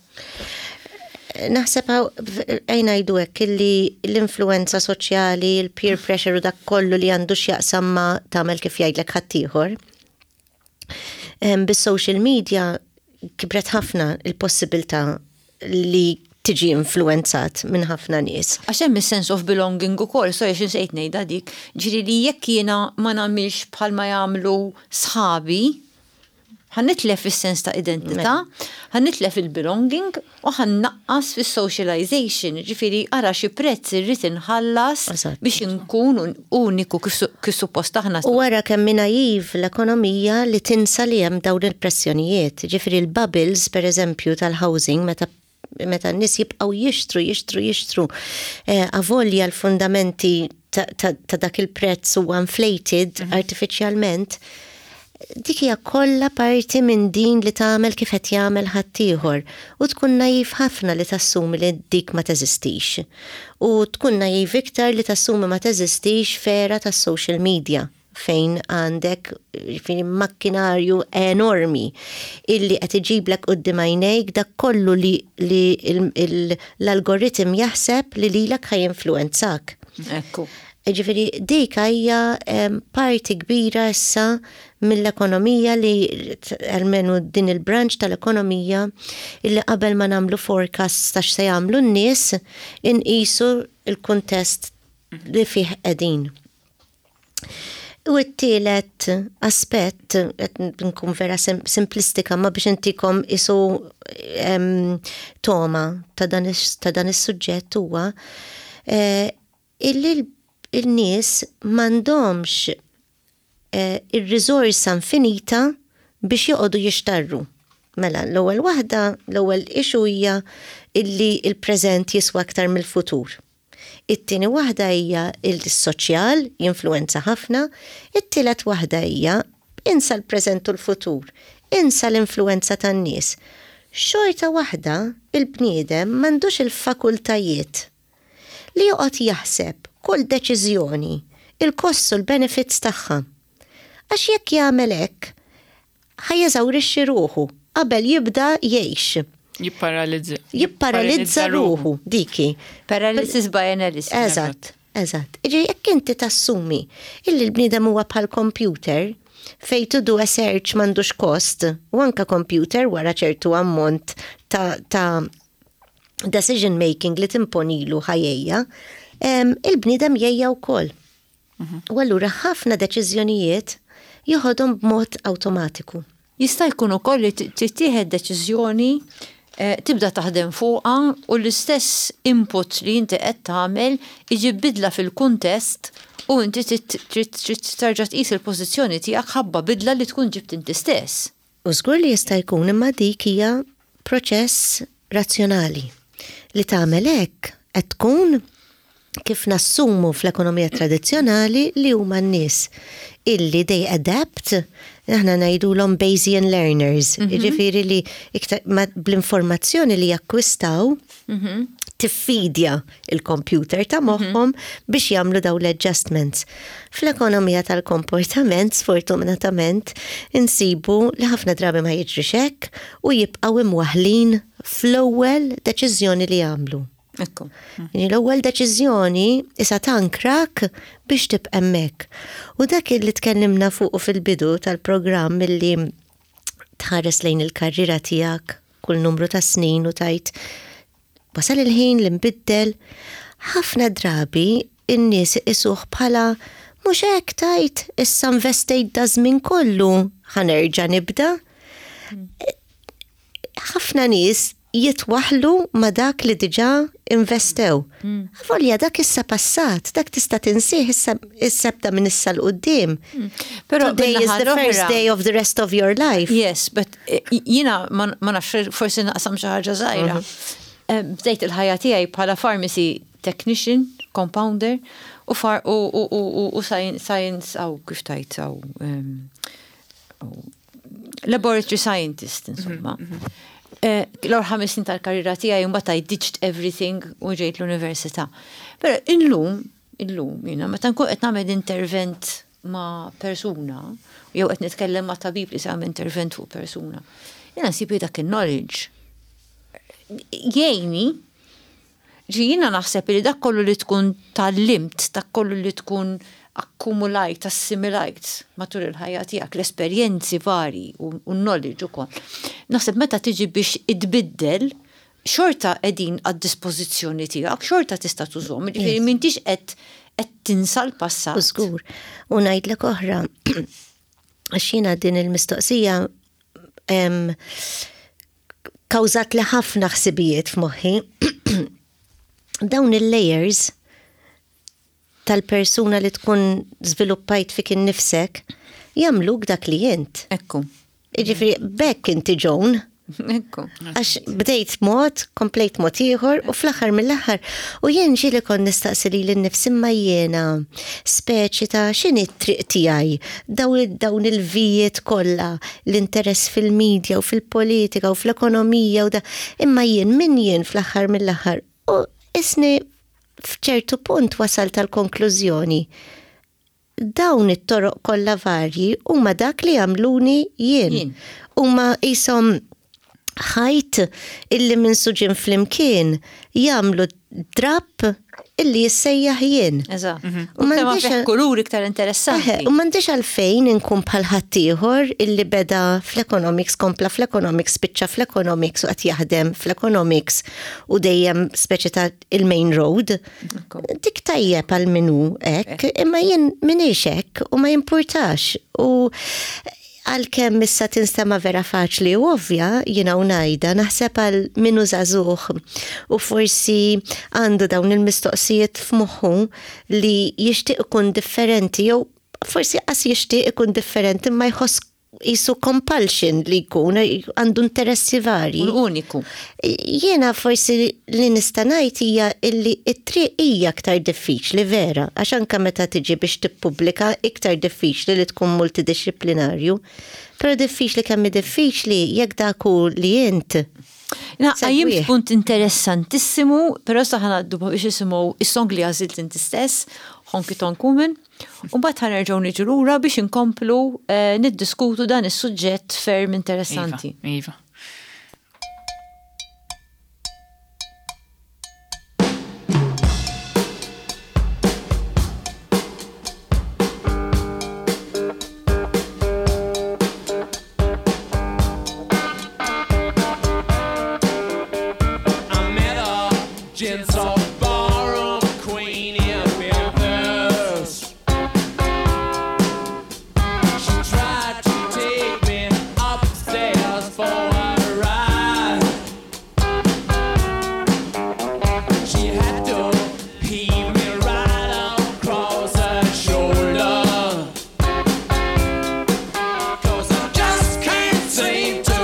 Naħseb ejja ngħidu hekk illi l-influenza soċjali, il-peer pressure u dak kollu li għandu x'jaqsam ma tagħmel kif jgħidlek ħaddieħor. Bis-social media kibret ħafna il-possibilità li tiġi influenzat minn ħafna nies. Għax hemm is-sense of belonging ukoll, sorry xi nsejt ngħidha dik, ġifieri li jekk jiena ma nagħmilx bħalma jagħmlu sħabi, ħa nitlef is-sens ta' identità, ħa nitlef il-belonging u ħa nnaqqas fis-socialization, ġifieri ara xi prezz irrid inħallas biex inkun uniku kif suppost aħna. U wara kemm naiv l-ekonomija li tinsa li hemm dawn il-pressjonijiet, ġifieri l-bubbles per eżempju tal-housing meta meta n-nies jibqgħu jixtru, jixtru, jixtru, eh, avolja l-fundamenti ta' dak il-prezz huwa inflated mhm. artificialment, dik hija kollha parti minn din li tagħmel kif qed jagħmel ħaddieħor u tkun naiv ħafna li tassumi li dik ma teżistix. U tkun naiv iktar li tassumi ma teżistix f'era tas-social media fejn għandek makkinarju enormi illi qed iġiblek quddiem għajnejk dak kollu li, li l-algoritm jaħseb li lilek ħa jinfluwenzak. Ekku. Ġifieri, dik hija parti kbira issa mill-ekonomija li almenu din il-branch tal-ekonomija illi qabel ma nagħmlu forecast ta' x'se jagħmlu n-nies inqisu il-kuntest li fih qegħdin. U t-tielet aspett, nkun vera simplistika, ma biex intikom isu toma ta' dan is-suġġett huwa eh, illi il-nies m'għandhomx eh, ir-riżorsa infinita biex joqogħdu jixtarru. Mela, l-ewwel waħda, l-ewwel issue hija illi il-preżent jiswa aktar mill-futur. It-tieni waħda hija il-soċjal jinfluenza ħafna, it-tielet waħda hija insa l-preżent u l-futur, insa l-influenza tan-nies. Xorta waħda il-bniedem m'għandux il-fakultajiet li joqgħod jaħseb kull deċiżjoni, il-cost u l-benefits tagħha. Għax jekk jagħmel hekk, ħa jeżawrixxi ruħu qabel jibda jgħix. Jipparalizza. Jipparalizza ruħu, diki. Paralysis by analysis. Eżatt, eżatt. Iġi, jekk inti tassumi illi l-bniedem huwa bħal computer, fej to do a search m'għandux cost, u anka computer wara ċertu ammont ta', ta decision making li timponilu ħa jgħejja, il-bniedem jgħejja wkoll. Mhm. U allura ħafna deċiżjonijiet joħodhom b'mod awtomatiku. Jista' jkun ukoll li tittieħed deċiżjoni eh, tibda taħdem fuqha u l-istess input li inti qed tagħmel iġib bidla fil-kuntest u inti trid terġa' tqis il-pożizzjoni tiegħek ħabba bidla li tkun ġibt inti stess. U żgur li jista' jkun imma dik hija proċess razzjonali. Li tagħmel hekk qed tkun kif nassumu fl-ekonomija tradizzjonali li huma n-nies illi they adapt, aħna ngħidulhom Bayesian learners, mm -hmm. jiġifieri li iktar bl-informazzjoni li jakkwistaw mm -hmm. tiffidja il-computer ta' moħħhom mm -hmm. biex jagħmlu daw l-adjustments. Fl-ekonomija tal-komportament, sfortunatament, insibu li ħafna drabi ma jiġrix hekk u jibqgħu imwaħlin fl-ewwel deċiżjoni li jagħmlu. Ekku. L-ewwel deċiżjoni issa tankrak biex tibqa' hemmhekk. U dak li tkellimna fuq fil-bidu tal-programm illi tħares lejn il-karriera tiegħek kull numru ta' snin u tgħid wasal il-ħin li nbiddel, ħafna drabi in-nies isuh bħala mhux hekk tgħid issa investejt da żmien kollu ħa nerġa' nibda. Ħafna nies jitwaħlu ma dak li diġà investew. Mm. Avolja dak issa passat, dak tista' tinsih issa issa minn issa 'l quddiem. Mm. Pero today is the first day of the rest of your life. Yes, but eh, jiena ma nafx forsi naqsam xi ħaġa żgħira. Mhm. Eh, bdejt il-ħajja tiegħi bħala pharmacy technician, compounder, u far u u u u science aw kif tgħid aw laboratory scientist insomma. Mhm, mhm. Eh, l-ewwel ħames snin tal-karriera tiegħi mbagħad I ditched everything u ġejt l-università. Però illum, illum jiena meta nkun qed nagħmel intervent ma' persuna, jew qed nitkellem ma' tabib li se jagħmel intervent fuq persuna, jiena nsib dak il-knowledge jgħinni ġi jiena naħseb li dak kollu li tkun tgħallimt, dak kollu li tkun akkumulajt, assimilajt matul il-ħajja tiegħek, l-esperjenzi vari u knowledge ukoll. Naħseb meta tiġi biex idbiddel, xorta qegħdin għad-dispożizzjoni tiegħek, xorta tista' tużhom, jiġifieri m'intix qed qed tinsa l-passat. Żgur. U ngħidlek oħra, għax jiena din il-mistoqsija kawżat li ħafna ħsibijiet f'moħħi. Dawn il-layers tal-persuna li tkun żviluppajt fik innifsek jagħmluk dak li jint. Ekku. Jiġifieri bekk inti Joan. Ekku. Għax bdejt mod, komplejt mod ieħor u fl-aħħar mill-aħħar. U jien ġieli kont nistaqsi lili nnifsi imma jiena speċi ta' x'inhi t-triq tiegħi dawn il-vijiet kollha, l-interess fil-medja u fil-politika u fl-ekonomija u da. Imma jien min jien fl-aħħar mill-aħħar. U isni f'ċertu punt wasal tal-konklużjoni. Dawn it-toroq kollha varji huma dak li għamluni jien. Huma qishom ħajt illi minn suġin flimkien jagħmlu drapp illi jissejjaħ jien. Eżatt. Mhm. U m'għandix kulur iktar interessanti. U m'għandix għalfejn inkun bħal ħaddieħor illi beda fl-economics, kompla fl-economics, spiċċa fl-economics u qed jaħdem fl-economics u dejjem speċi ta' il-main road. Dik tajjeb għal minu hekk, imma jien minix hekk u ma jimpurtax. U għalkemm issa tinstema vera faċli u ovvja, jiena u ngħidha, naħseb għal minu żagħżugħ u forsi għandu dawn il-mistoqsijiet f'moħħu li jixtieq ikun differenti jew forsi qas jixtieq ikun differenti ma jħoss jisu compulsion li jkun għandu interessi varji. Uniku. Jiena forsi li nista' ngħid hija illi t-triq hija aktar diffiċli vera, għax anke meta tiġi biex tippubblika iktar diffiċli li tkun multidisciplinarju. Però diffiċli kemm diffiċli jekk dak hu li int. Għajjimt punt interessantissimu, però sa ħa ngħaddu biex isimgħu is-song li għażilt inti stess, Honky Tonk Woman, u mbagħad ħa nerġgħu niġu lura biex inkomplu eh, niddiskutu dan is-suġġett ferm interessanti. Iva, iva. I met a gentle barroom queen in Memphis. She tried to take me upstairs for a ride. She had to heave me right across her shoulder. 'Cause I just can't seem to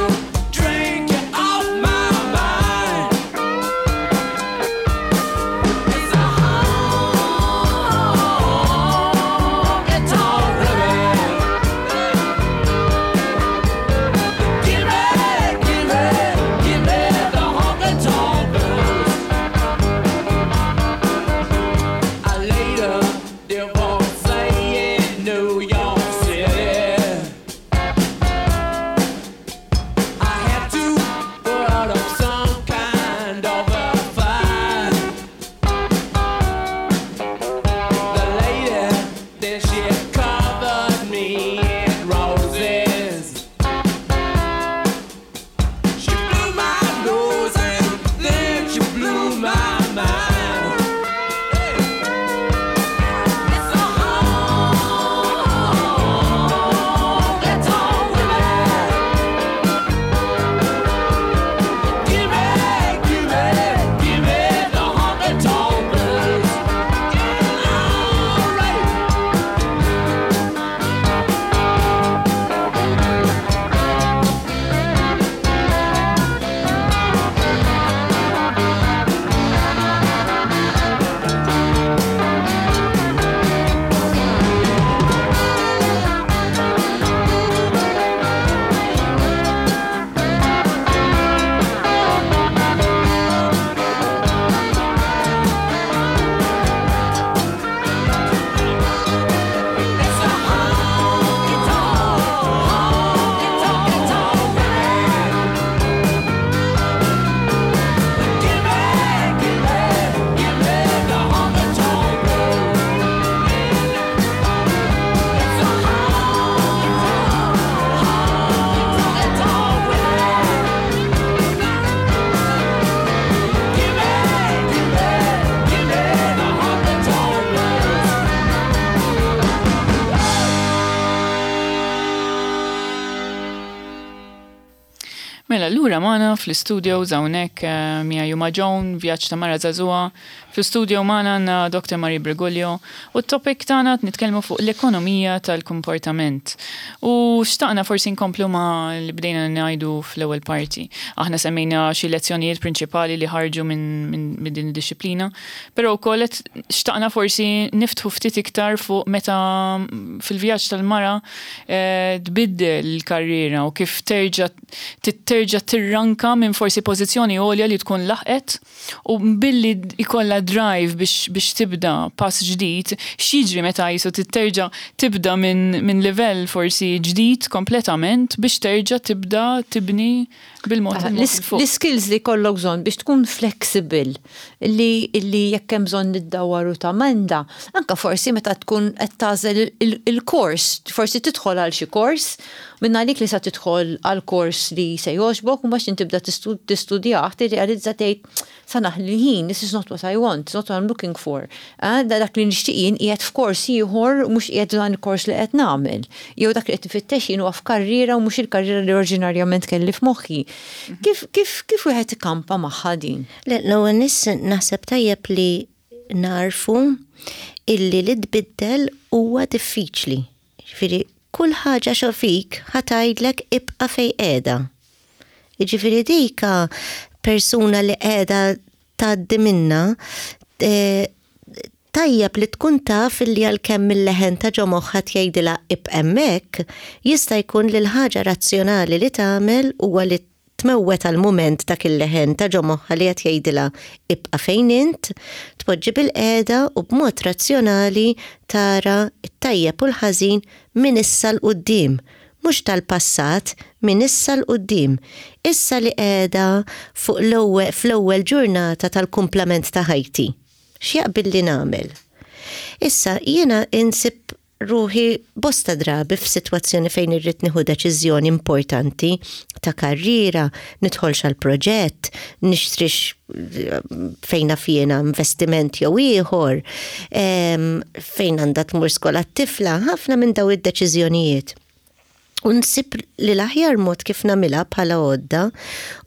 drink you off my mind. Mela, lura magħna fl-studio hawnhekk eh, Mia Juma Joan, Vjaġġ ta' Mara Żagħżugħa. Fl-studio magħna għandna Doctor Marie Briguglio u t-topic tagħna nitkellmu fuq l-ekonomija tal-komportament. U xtaqna forsi nkomplu ma li bdejna ngħidu fl-ewwel parti. Aħna semmejna xi lezzjonijiet prinċipali li ħarġu minn min, min din id-disciplina, però wkoll qed xtaqna forsi niftħu ftit iktar fuq meta fil-vjaġġ tal-mara eh, tbiddel il-karriera u kif terġa' terġa' tirranka minn forsi pożizzjoni għolja li tkun laħqet u billi ikolla drive biex, biex tibda pass ġdid, x'jiġri meta jisu terġa' tibda minn min livell forsi ġdid kompletament biex terġa' tibda tibni bil-mod il-mod 'il fuq. L-skills li jkollok bżonn biex tkun flexible, li, li jekk hemm bżonn niddawar u tamenda, anka forsi meta tkun qed tagħżel il-kors, forsi tidħol għal xi kors, minn għalik li sa tidħol għal kors li se jogħġbok u mbagħad tibda tistudjah, tirrealizza, tgħid, "Sa naħli ħin, this is not what I want, it's not what I'm looking for. Ah, da dak li nixtieq jien qiegħed f'kors ieħor, mhux qiegħed dan il-kors li qed nagħmel. Jew dak li qed nfittex jien huwa f'karriera u mhux il-karriera li oriġinarjament kelli f'moħħi." Kif kif kif wieħed ikampa magħha din? Le, l-ewwel nis naħseb tajjeb li narfu illi li tbiddel huwa diffiċli. Ġifieri kull ħaġa xo fik ħa tgħidlek ibqa' fej qiegħda. Jiġifieri dika persuna li qiegħda tgħaddi minna eh, tajjeb li tkun taf li għalkemm il-leħen ta' ġo moħħha tgħidilha ibqa' hemmhekk, jista' jkun li l-ħaġa razzjonali li tagħmel huwa li tmewwet għal mument dak il-leħen ta' ġo moħħha li qed jgħidilha ibqa' fejn int, tpoġġi bil-qiegħda u b'mod razzjonali tara t-tajjeb u l-ħażin minn issa 'l quddiem, mhux tal-passat, minn issa 'l quddiem. Issa li qiegħda fuq l-ewwel fl-ewwel ġurnata tal-kumplament ta' ħajti. X'jaqbilli nagħmel? Issa jiena insib ruħi bosta drabi f'sitwazzjoni fejn irrid nieħu deċiżjoni importanti ta' karriera, nidħolx għal proġett, nixtrix fejn naf jiena investiment jew ieħor, em, fejn għandha tmur skola t-tifla, ħafna minn daw id-deċiżjonijiet. U nsib li l-aħjar mod kif nagħmilha bħala għodda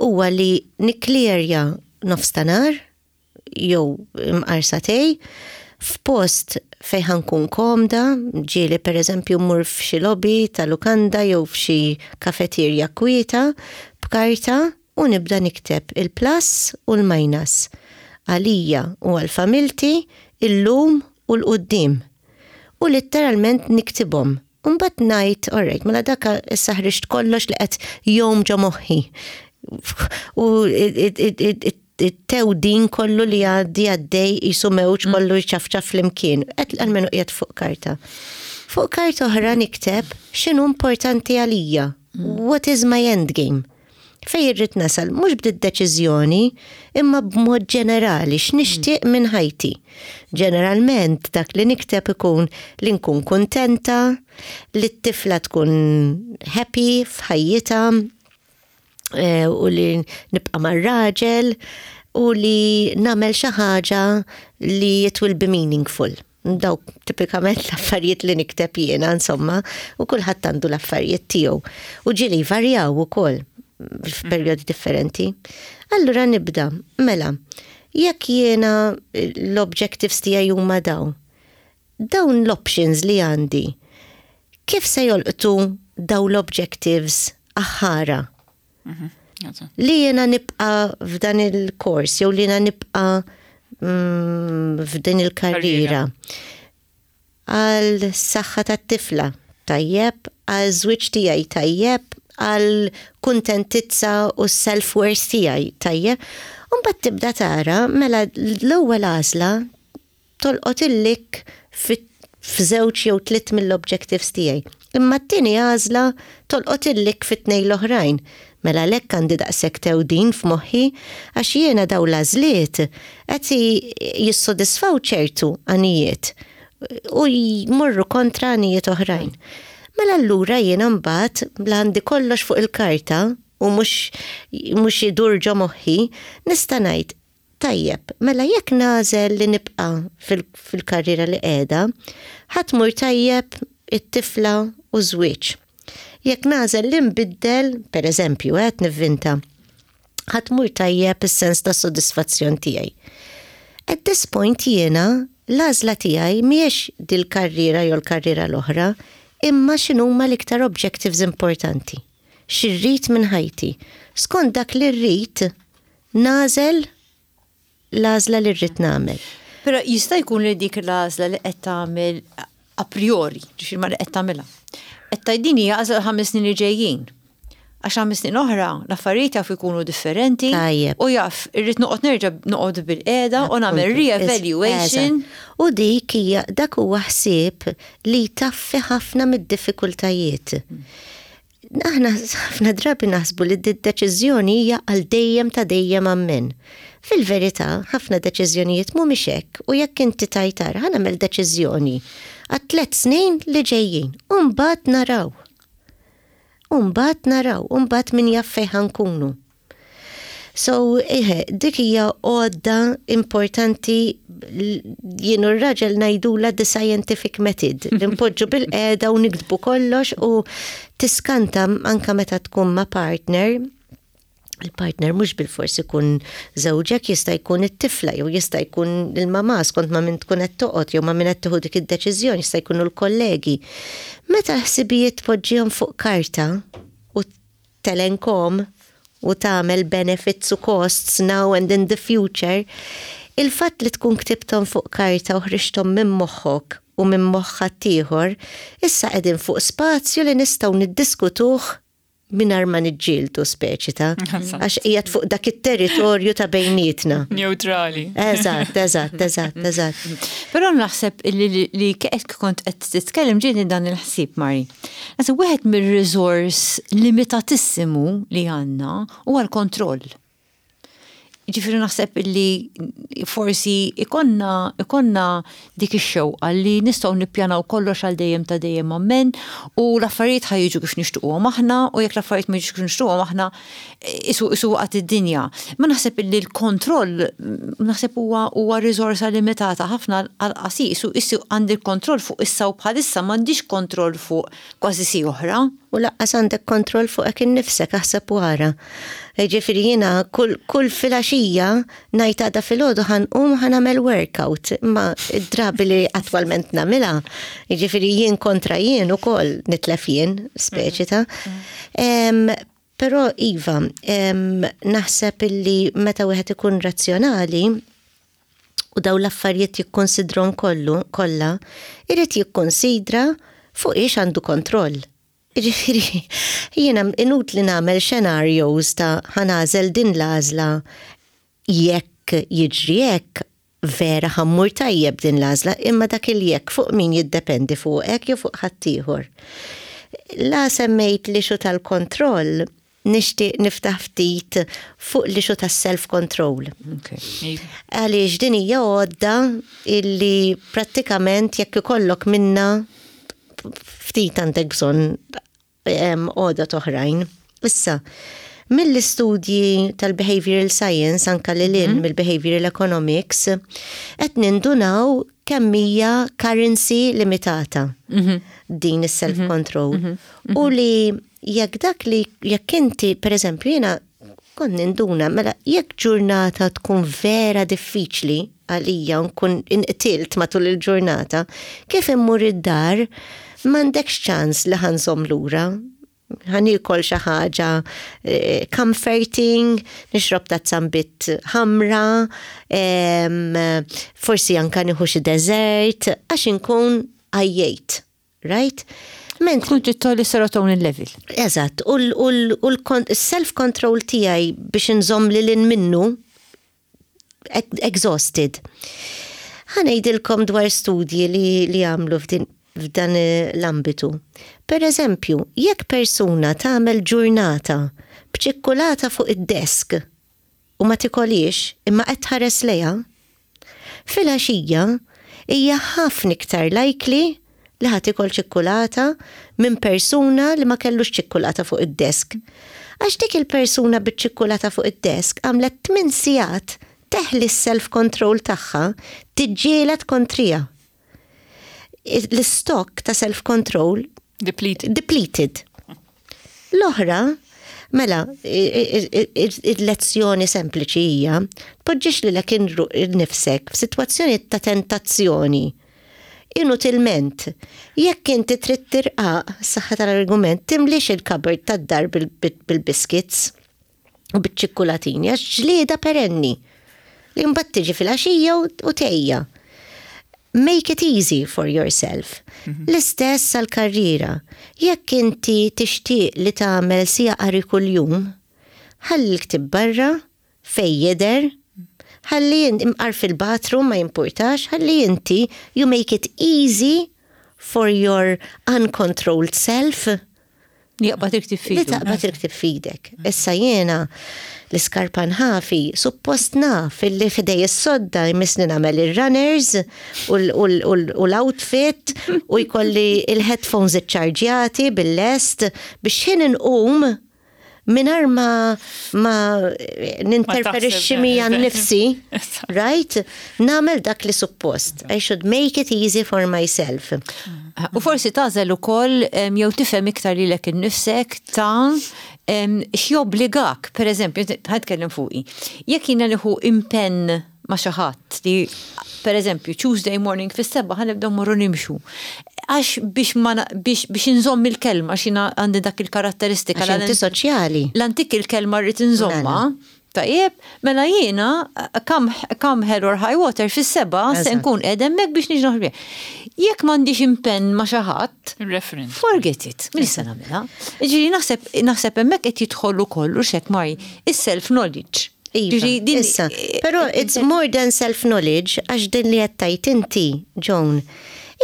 huwa li nikklirja nofstanhar jew imqar sagħtejn f'post fejn ħa nkun komda, ġieli per eżempju mmur f'xi lobby ta' lukanda jew f'xi kafeterja kwieta b'karta u nibda nikteb il-plus u l-minus għalija u għal-familti illum u 'l quddiem. U letteralment niktibhom. Umbagħad ngħid, alright, mela daka issa ħriġt kollox li qed jom ġo moħħi. U it-tewdin kollu li għaddi għaddej jisu mewġ kollu jċafċaf flimkien. Qed almenu qiegħed fuq karta. Fuq karta oħra nikteb x'inhu importanti għalija. What is my end game? Fej irrid nasal, mhux b'did-deċiżjoni, imma b'mod ġenerali, x'nixtieq minn ħajti. Ġeneralment dak li nikteb ikun li nkun kuntenta, li t-tifla tkun happy f'ħajjitha, eh, u li nibqa' mar-raġel u li nagħmel xi ħaġa li it will be meaningful. Dawk tipikament l-affarijiet li nikteb jiena, insomma, u kulħadd għandu l-affarijiet tiegħu. U ġieli varjaw ukoll f'perjodi differenti. Allura nibda, mela, jekk jiena l-objectives tiegħi huma dawn, dawn l-options li għandi, kif se jolqtu dawn l-objectives aħħara? Li jiena nibqa f'dan il-kors, jew li jiena nibqa mm, f'din il-karriera. Għal saħħa tat-tifla, tajjeb, għal żwieġ tiegħi tajjeb, għal kuntentizza u self-worth tiegħi tajjeb. Umbagħad tibda tara mela l-ewwel għażla tolqot il-lik f'żewġ jew tliet mill-objectives tiegħi. Imma t-tieni għażla tolqot il-lik fit-tnejn l-oħrajn. Mela lek għandi daqshekk tewdin f'moħħi għax jiena daw l-għażliet qed jissodisfaw ċertu għanijiet u jmorru kontra għanijiet oħrajn. Mela allura jiena mbagħad bla għandi kollox fuq il-karta u mhux mhux idur ġo moħħi, nista' ngħid tajjeb, mela jekk nagħżel li nibqa' fil-karriera li qiegħda, ħa tmur tajjeb it-tifla u żwieġ. Jekk nagħżel li nbiddel, per eżempju, qed nivvinta, ħa tmur tajjeb is-sens ta' sodisfazzjon tiegħi. At this point jiena l-għażla tiegħi mhijiex dil-karriera jew l-karriera l-oħra, imma x'inhuma l-iktar objectives importanti. X'irrid minn ħajti. Skont dak li rrid, nagħżel l-għażla li rrid nagħmel. Però jista' jkun li dik l-għażla li qed tagħmel a priori, ġifieri ma li qed tagħmilha. Qed tgħid hija għażla ħames snin li ġejjin. Għax ħames snin oħra l-affarijiet jaf ikunu differenti. Tajjeb. U jaf irrid noqgħod nerġa' noqgħod bil-qiegħda u nagħmel re-evaluation. Eżatt. U dik hija dak huwa ħsieb li taffi ħafna mid-diffikultajiet. Aħna ħafna drabi naħsbu li d-deċiżjoni hija għal dejjem ta' dejjem ammen. Fil-verità, ħafna deċiżjonijiet mhumiex hekk u jekk inti tajtar ħa nagħmel deċiżjoni għat tliet snin li ġejjin, u mbagħad naraw. U mbagħad naraw, u mbagħad min jaf fejn ħa nkunu. So, eħe, dik hija għodda importanti jien u r-raġel ngħidulha the scientific method. Li npoġġu bil-qiegħda u niktbu kollox u tiskanta anka meta tkun ma' partner, il-partner mhux bil-fors ikun żewġek, jista' jkun it-tifla jew jista' jkun il-mama skont ma' min tkun qed toqgħod jew ma' min qed tieħu dik id-deċiżjoni, jista' jkunu l-kollegi. Meta l-ħsibijiet tpoġġihom fuq karta u telenkhom u tagħmel benefits u costs now and in the future, il-fatt li tkun ktibthom fuq karta u ħriġthom minn moħħok u minn moħħ ħaddieħor, issa qegħdin fuq spazju li nistgħu niddiskutuh mingħajr ma niġġieldu speċi ta' għax qiegħed fuq dak it-territorju ta' bejnietna. Neutrali. Eżatt, eżatt, eżatt, eżatt. Però naħseb li li qed kont qed titkellem ġieni dan il-ħsieb Mari. Naħseb wieħed mir-resource limitatissimu li għandna huwa l-kontroll. Ġifieri naħseb li forsi ikonna, ikonna dik ix-xewqa li nistgħu nippjanaw kollox għal dejjem ta' dejjem ammen u l-affarijiet ħa jiġu kif nixtuqhom aħna u jekk l-affarijiet ma jiġux kif nixtuqhom aħna isu isu waqgħet id-dinja. Ma naħseb li l-kontroll naħseb huwa huwa riżorsa limitata ħafna għal qasir isu isu għandi l-kontroll fuq issa u bħalissa m'għandix kontroll fuq kważi si oħra. U lanqas għandek kontroll fuqek innifsek aħseb wara. Ġifieri jiena kull, kull filgħaxija ngħid għada filgħodu ħa nqum ħa nagħmel workout, imma id-drabi li attwalment nagħmilha, ġifieri jien kontra jien ukoll nitlef jien, speċi ta'. Em, Però Iva, em, naħseb illi meta wieħed ikun razzjonali u daw l-affarijiet jikkonsidrom kollu kollha, irid jikkonsidra fuq ix għandu kontroll. Ġifieri, jiena inutli nagħmel scenarios ta' ħa nagħżel din l-għażla jekk jiġri hekk vera ħa mmur tajjeb din l-għażla, imma dak il-jekk fuq min jiddependi fuqek jew fuq ħaddieħor. La semmejt l-issue tal-kontroll, nixtieq niftaħ ftit fuq l-issue tas-self-control. Għaliex din hija għodda illi prattikament jekk ikollok minna ftit għandek bżonn em, għodda oħrajn. Issa, mill-istudji tal-behavioral science, anka li lin mill-behavioral economics, qed nindunaw kemm hija currency limitata din is-self-control. U li jekk dak li jekk inti, per eżempju, jiena kont ninduna, mela jekk ġurnata tkun vera diffiċli għalija u nkun inqtilt matul il-ġurnata, kif immur id-dar, m'għandekx ċans li ħa nżomm lura. Ħa niekol xi ħaġa eh, comforting, nixrob tazza nbid ħamra, em, forsi anka nieħu xi dessert, għax inkun għajjejt, right? Mentri Tkun trid tolli serotonin level. Eżatt, u l-self-control tiegħi biex nżomm li lin minnu exhausted. Ħa ngħidilkom dwar studji li, li għamlu f'din f'dan l-ambitu. Per eżempju, jekk persuna tagħmel ġurnata b'ċikkulata fuq id-desk u ma tikolix imma qed tħares lejha, filgħaxija hija ħafna iktar likely li ħa tiekol ċikkulata minn persuna li ma kellux ċikkulata fuq id-desk. Għax dik il-persuna biċ-ċikkulata fuq id-desk għamlet tmien sigħat teħli s-self-control tagħha tiġġieled kontrija. L-stock ta' self-control Depleted. depleted. L-oħra, mela, il-lezzjoni sempliċi hija, tpoġġix lilek nifsek f'sitwazzjoni ta' tentazzjoni. Inutilment, jekk inti trid tirqaq saħħa tal-argument, timlix il-cupboard tad-dar bil-biscuits u bil-ċikkulatini, għax ġlieda perenni. Li mbagħad tiġi fil-għaxija u tgħejja. Make it easy for yourself. Mhm. L-istess għal-karriera. Jekk inti tixtieq li tagħmel siegħa qari kuljum, ħalli l-ktib barra, fej jidher, ħalli imqar fil-bathroom ma jimpurtax, ħalli inti you make it easy for your uncontrolled self. Jaqbad il-ktib f'idek. Li taqbad il-ktib f'idek. Issa jiena l-iskarpan ħafi, suppost naf illi f'idej is-sodda jmissni nagħmel il-runners u l-outfit u jkolli il-headphones iċċarġjati bil-lest biex ħin inqum mingħajr ma ma ninterferixxi mija nnifsi, right? Nagħmel dak li suppost. I should make it easy for myself. U forsi tagħżel ukoll jew tifhem iktar lilek innifsek ta' x'jobbligak, per eżempju, ħa nitkellem fuqi. Jekk jiena nieħu impenn ma' xi ħadd li per eżempju Tuesday morning fis-sebgħa ħa nibdew morru nimxu. Għax biex ma biex biex inżomm il-kelma għax jiena għandi dak il-karatteristika. Għax inti soċjali. L-antik il-kelma rrid inżomma. Mela. Tajjeb, mela jiena come, come hell or high water fis-sebgħa se nkun qiegħda hemmhekk biex niġi noħroġ. Jekk m'għandix impenn ma' xi ħadd, forget it, min se nagħmilha. Ġifieri naħseb naħseb hemmhekk qed jidħol ukoll u xek mari is-self knowledge. Iva, issa, però it's more than self-knowledge, għax din li għedt inti, Joan,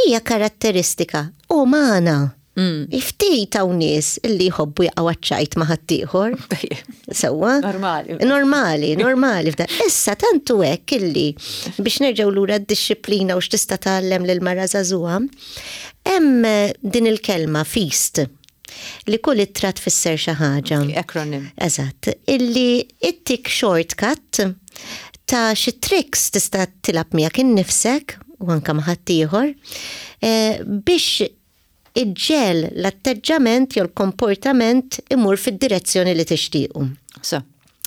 hija karatteristika umana. Mm. Ftit hawn nies illi jħobbu jaqgħu ċajt ma' ħaddieħor. Sewwa? Normali. Normali, normali. Issa tantu hekk illi biex nerġgħu lura d-dixxiplina u x'tista' tgħallem lil mara żagħżugħa, hemm din il-kelma feast li kull ittra tfisser xi ħaġa. Acronym. Eżatt. Illi ittik shortcut ta' xi tricks tista' tilgħab miegħek innifsek u anka ma' ħaddieħor eh, biex iġġel l-atteġġament jew l-komportament imur fid-direzzjoni li tixtiequ. So.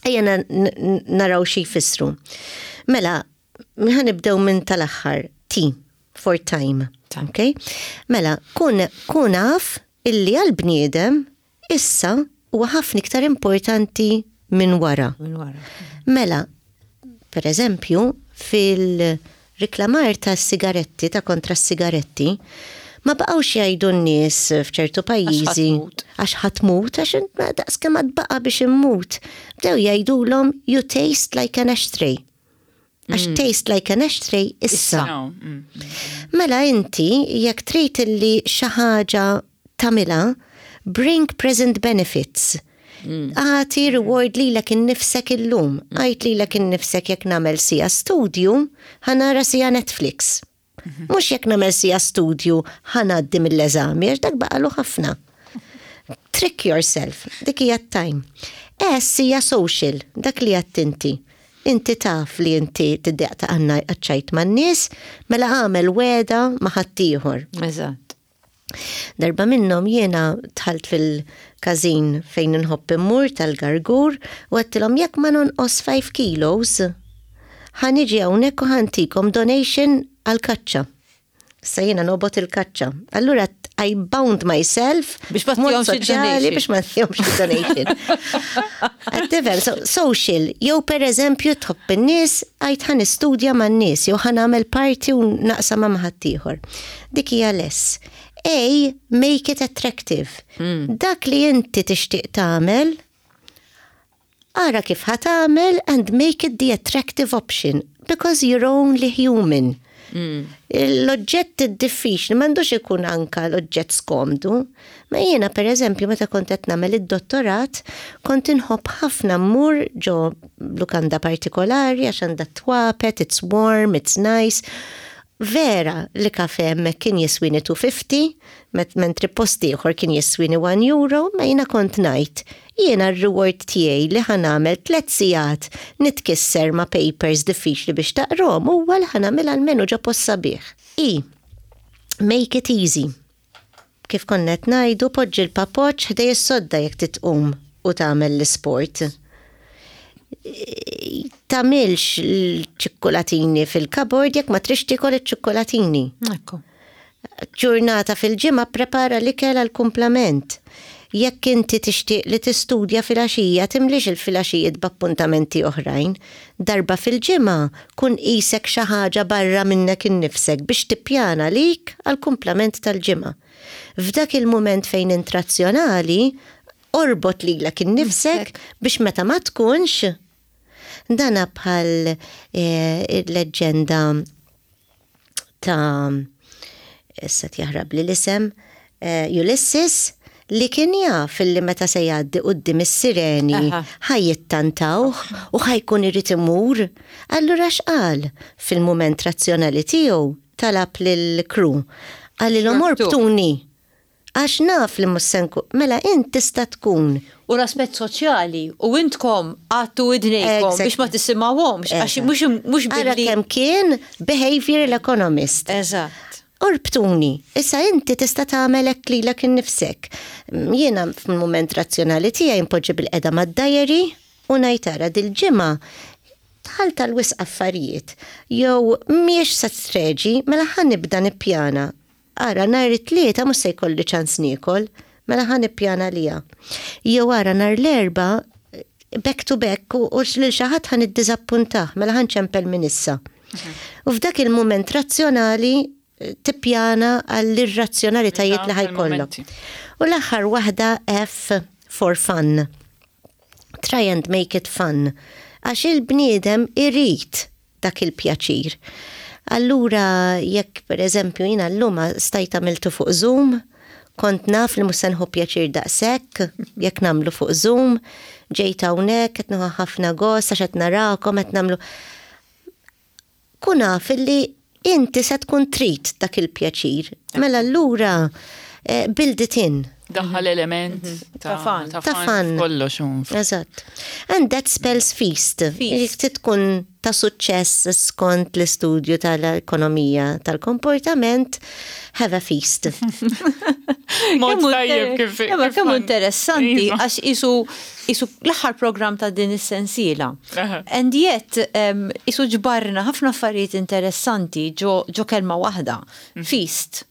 Ejja naraw xi jfissru. Mela, ħa nibdew minn tal-aħħar, T, for time. Okay? Mela, kun, kun af illi għal-bniedem issa huwa ħafna iktar importanti minn wara. Minn wara. Mela, per eżempju, fil-riklamar ta' sigaretti, ta' kontra sigaretti, ma baqgħux jgħidu n-nies f'ċertu pajjiżi għax ħa tmut, għax daqs kemm baqa biex immut. Bdew jgħidulhom you taste like an ashtray. Għax mm. taste like an ashtray issa. Mm. Mela inti jekk trid illi xi ħaġa tagħmilha, bring present benefits. Mm. Agħti reward lilek innifsek illum. Għid lilek innifsek jekk nagħmel siegħa studju, ħa nara siegħa Netflix. Mhux jekk nagħmel siegħa studju ħa ngħaddi mill-eżami, għax dak baqalu ħafna. Trick yourself, dik hija time. S hija social, dak li għedt inti. Inti taf li inti tiddejjaq ta' għanna għadċajt man-nies, mela għamel wegħda ma' ħaddieħor. Eżatt. Darba minnhom jiena dħalt fil-każin fejn nħobb immur tal-Gargur u għedtilhom jekk ma nonqos five kilos, ħa niġi hawnhekk u ħa ntikom donation għal-kaċċa. Issa jiena nobgħod il-kaċċa. Allura I bound myself biex ma mod ttihomx soċjali il-donation. biex ma ttihomx donation. Għad so, social, jew per eżempju tħobb in-nies, għid ħa nistudja man-nies, jew ħa nagħmel party u naqsam ma' ħaddieħor. Dik hija l-S. A, make it attractive. Dak li inti tixtieq tagħmel, ara kif ħa tagħmel and make it the attractive option because you're only human. L-oġġett diffiċli m'għandux ikun anka l-oġġett skomdu. Ma jiena per eżempju meta kont qed nagħmel id-dottorat, kont inħobb ħafna mmur ġo lukanda partikolari għax għandha twapet, it's warm, it's nice. Vera li kafe hemmhekk kien jiswini two fifty, met mentri post ieħor kien jiswini one euro, ma jiena kont ngħid jiena r-reward tiegħi li ħa nagħmel tliet sigħat nitkisser ma' papers diffiċli biex taqrom huwa li ħa nagħmel almenu ġo post sabiħ. I, make it easy. Kif konna qed ngħidu, poġġi l-papoċ ħdejn is-sodda jekk titqum u tagħmel l-isport. Tagħmilx l-ċikkulatini fil-cupboard jekk ma tridx tiekol iċ-ċikkulatini. Ekku. Ġurnata fil-ġimgħa prepara l-ikel għal-kumplament. Jekk inti tixtieq li tistudja filgħaxija, timlix il-filgħaxijiet b'appuntamenti oħrajn. Darba fil-ġimgħa kun qisek xi ħaġa barra minnek innifsek biex tippjana lik għal-kumplament tal-ġimgħa. F'dak il-mument fejn int razzjonali, orbot lilek innifsek biex meta ma tkunx dana bħal eh, il-leġġenda ta' issa jaħrab li l-isem eh, Ulysses, li kien jaf li meta se jgħaddi quddiem is-sireni Aha. ħa jittantawh u ħa jkun irid imur. Allura x'qal fil-mument razzjonali tiegħu? Talab lill-crew. Qalilhom, Orbtu. "Orbtuni. Għax naf li mhux se nkun." Mela int tista' tkun U l-aspett soċjali, u intkom għattu widnejkom Exact. biex ma tisimgħuhomx, għax mhux mhux Ara billi. kemm kien behavioral economist. Eżatt. "Orbtuni, issa inti tista' tagħmel hekk lilek innifsek." Jiena fil-mument razzjonali tiegħi npoġġi bilqiegħda mad-diary u ngħid, "Ara, dil-ġimgħa dħalt tal-wisq affarijiet jew mhijiex se treġi, mela ħa nibda nippjana. Ara, nhar it-Tlieta mhux se jkolli ċans niekol, mela ħa nippjana lija. Jew ara, nhar l-Erbgħa back to back u u lil xi ħadd ħa niddiżappuntah, mela ħa nċempel minn issa." U f'dak il-mument razzjonali eh, tippjana għall-irrazzjonalitajiet li ħa jkollok. Momenti. U l-aħħar waħda, F for fun. Try and make it fun. Għax il-bniedem irid dak il-pjaċir. Allura, jekk per eżempju jiena llum stajt għamiltu fuq Zoom, kont naf li mhux se nieħu pjaċir daqshekk jekk nagħmlu fuq Zoom, ġejt hawnhekk qed nieħu ħafna gost għax qed narakom qed nagħmlu. Kun naf li inti se tkun trid dak il-pjaċir. Mela allura eh, build it in. Daħħal element Ta' fun. Ta' Ta' fun. Kollox un. Eżatt. And that spells feast. Feast. Jekk tkun ta' suċċess skont l-istudju tal-ekonomija tal-komportament, have a feast. Mod Kemm tajjeb inter- kif. Imma kif kemm għan- interessanti Iva. għax isu isu l-aħħar program ta' din is-sensiela. Aha. And yet um, isu ġbarna ħafna affarijiet interessanti ġo, ġo kelma waħda. Feast.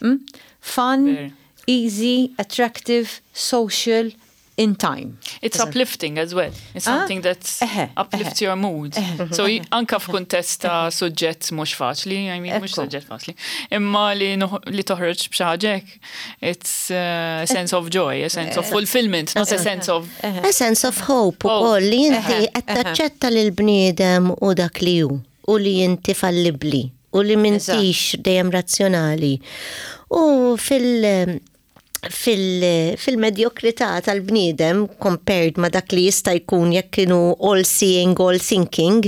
Mm? Fun, Ver. easy, attractive, social, in time. It's uplifting as well. It's Ah? something that Eħe, uplifts eħe. your mood. So y- anka f'kuntest ta' suġġett mhux faċli, I mean mhux Ekku. suġġett faċli, imma li noħ- li toħroġ b'xi ħaġa hekk, it's uh, a sense of joy, a sense of fulfillment, not a sense of A sense of hope u Hope. koll li inti Eħe, qed eħe. taċċetta lil bniedem u dak li hu u li inti fallibli u li m'intix dejjem razzjonali. U fil- fil- fil-medjokrità tal-bniedem compared ma dak li jista' jkun jekk kienu all seeing, all thinking,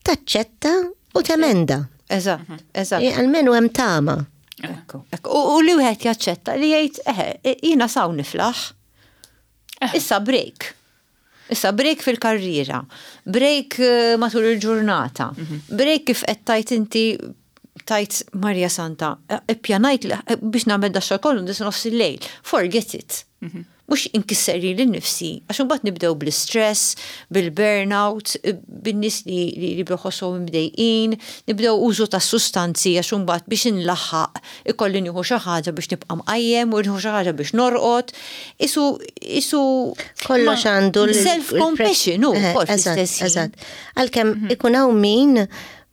taċċetta u temenda. Eżatt, eżatt. E, Almenu hemm tama. Ekku, ekku. U, u li wieħed jaċċetta li jgħid, eħe, jiena s'hawn niflaħ. Issa break. Issa break fil-karriera, break eh, matul il-ġurnata, break kif qed tajt inti tajt Marja Santa, eh, ippjanajt li- eh, biex nagħmel da xogħol kollu dis nofs il-lejl. Forget it. Mhux inkisser lili nnifsi, għax imbagħad nibdew bl-istress, bil-burnout, eh, bin-nies li li li bħossuhom imdejqin, nibdew użu ta' sustanzi għax imbagħad biex inlaħħaq ikolli nieħu xi ħaġa biex nibqa' mqajjem u nieħu xi ħaġa biex norqod. Isu isu Kollox għandu l- Self-compassion, u Eh, kol eżatt, fl-istess ħin. eżatt. Għalkemm ikun hawn min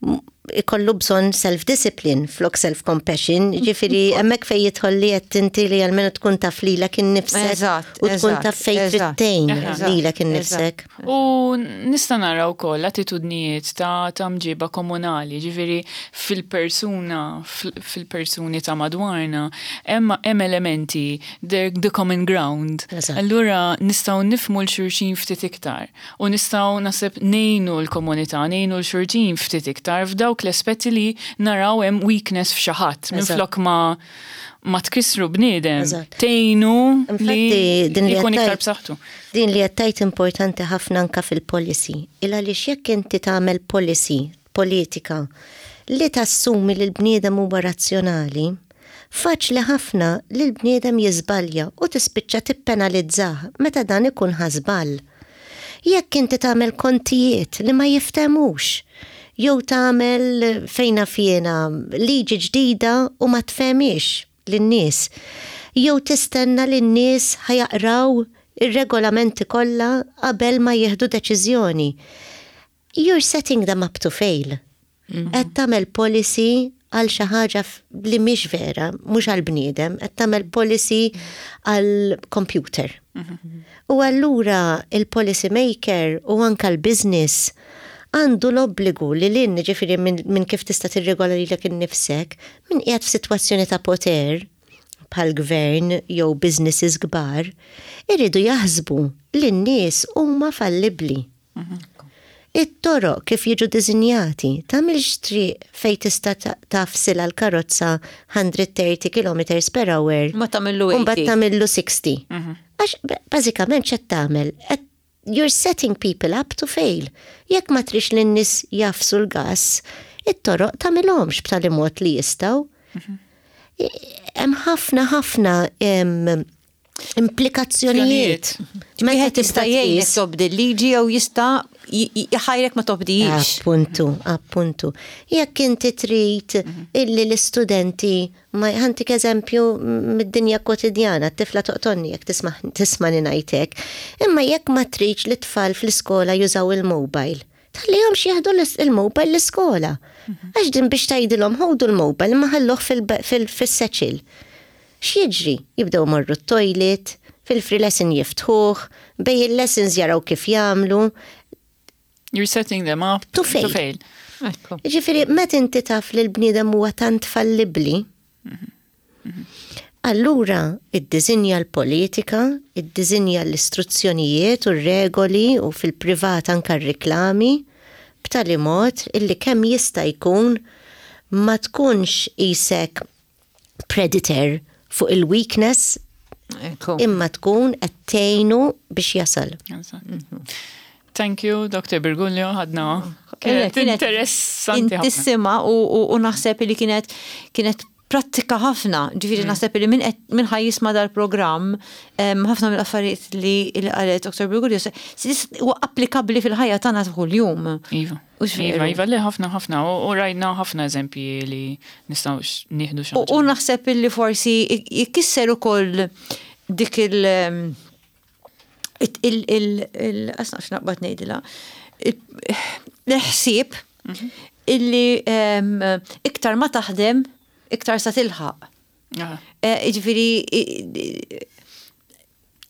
m- ikollu bżonn self-discipline flok self-compassion, ġifieri hemmhekk fejn jidħol li qed inti li almenu tkun taf lilek innifsek Eżatt, u tkun eżatt, taf fejn eżatt, trid tgħin eżatt, lilek innifsek. U nista' nara wkoll attitudnijiet ta' ta' mġiba komunali, ġifieri fil-persuna, fil- fil-persuni ta' madwarna, hemm hemm elementi, the, the common ground. Eżatt. Allura nistgħu nifhmu 'l xulxin ftit iktar u nistgħu naħseb ngħinu l-komunità, ngħinu 'l xulxin ftit iktar f'dawk l-aspetti li naraw hemm weakness f'xi ħadd minflok ma ma tkissru bniedem, Eżatt. tgħinu li Infatti, din li jkun iktar għattajt- b'saħħtu. Din li għattajt importanti ħafna anka fil-policy. Il għaliex jekk inti tagħmel policy, politika, li tassumi li l-bniedem huwa razzjonali, Faċli ħafna li l-bniedem jiżbalja u tispiċċa tippenalizzah meta dan ikun ħa żball. Jekk inti tagħmel kontijiet li ma jiftemux, jew tagħmel fejna fjena liġi ġdida u ma tfehmix lin-nies, jew tistenna li n-nies ħa jaqraw ir-regolamenti kollha qabel ma jieħdu deċiżjoni. You're setting them up to fail. Qed tagħmel policy għal xi ħaġa li mhix vera, mhux għal bniedem, qed tagħmel policy għal computer. U allura il-policy maker u anka l-business għandu l-obbligu li l ġifieri minn min kif tista' tirregola lilek innifsek, min qiegħed f'sitwazzjoni ta' poter bħal gvern jew businesses kbar, irridu jaħsbu li n-nies huma fallibli. It-toroq kif jiġu dizinjati, tagħmilx triq fej tista' tagħfsilha l-karozza mija u tletin kilometri per hour. Ma tagħmillu U mbagħad tagħmillu sittaħxin. Għax bażikament x'qed tagħmel? You're setting people up to fail. Jekk ma trix li n-nies jagħfsu l-gas, it-toroq tagħmilhomx b'tali mod li jistgħu. Hemm ħafna ħafna implikazzjonijiet. Meta tista' jgħinek tobdi l-liġi jew jista' jħajrek ma tobdijiex. Appuntu, appuntu. Jekk inti trid illi l-istudenti ma ħa ntik eżempju mid-dinja kwotidjana, t-tifla toqtolni jekk tisma' ngħidlek, imma jekk ma tridx li tfal fl-iskola jużaw il-mobile, tħallihomx jieħdu il-mobile l-iskola. Għax din biex tgħidilhom ħudu l-mobile ma ħalluh fil-satchel. X'jiġri? Jibdew morru t-toilet, fil-free lesson jiftħuh, bejn il-lessons jaraw kif jagħmlu. You're setting them up to fail. To fail. Ġifieri, meta inti taf li l-bniedem huwa tant fallibli, allura iddisinja l-politika, iddisinja l-istruzzjonijiet u r-regoli u fil-privat anka r-reklami, b'tali mod illi kemm jista' jkun ma tkunx isek predator fuq il-weakness imma tkun qed tgħinu biex jasal. Thank you, Doctor Briguglio, ħadna. Kienet interessanti. Intissima u naħseb li kienet kienet prattika ħafna, ġifieri mm. naħseb li min ħa jisma' dal-programm, ħafna mill-affarijiet li qalet Doctor Briguglio huwa applikabbli fil-ħajja tagħna kuljum. Iva. Iva, iva, li ħafna ħafna, u rajna ħafna eżempji li nistgħu nieħdu xi. U naħseb li forsi jkisser ukoll dik il- il il naqbad ngħidilha l-ħsieb mhm. illi iktar ma taħdem iktar sa tilħaq. Eh, ġifieri.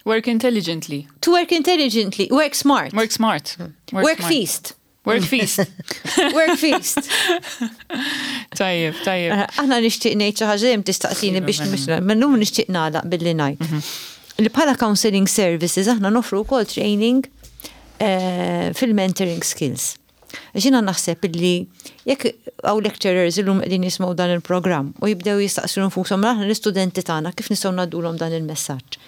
Work intelligently. To work intelligently, work smart. Work smart. Work, work feast. Work feast. Work feast. Tajjeb, tajjeb. Eh, aħna nixtieq ngħid xi ħaġa tistaqsini biex minnhom nixtieq nagħlaq billi ngħid. Mhm. Li bħala counseling services aħna nofru wkoll training eh, fil-mentoring skills. Jiena naħseb illi jekk hawn lecturers illum qegħdin jismgħu dan il-programm u jibdew jistaqsu nfushom aħna l-istudenti tagħna kif nistgħu ngħaddulhom dan il-messaġġ.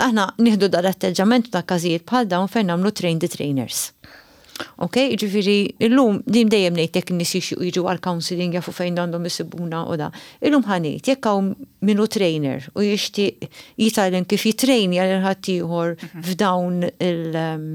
Aħna nieħdu dan l-atteġġament ta' każijiet bħal dawn fejn nagħmlu train the trainers. Ok, ġifieri, illum din dejjem ngħid jekk in-nies jiġu għal counseling jafu fejn għandhom isibuna u da. Illum ħa ngħid jekk hawn min hu trainer u jixtieq jitgħallem kif jitrejni għal ħaddieħor mhm. f'dawn il- um,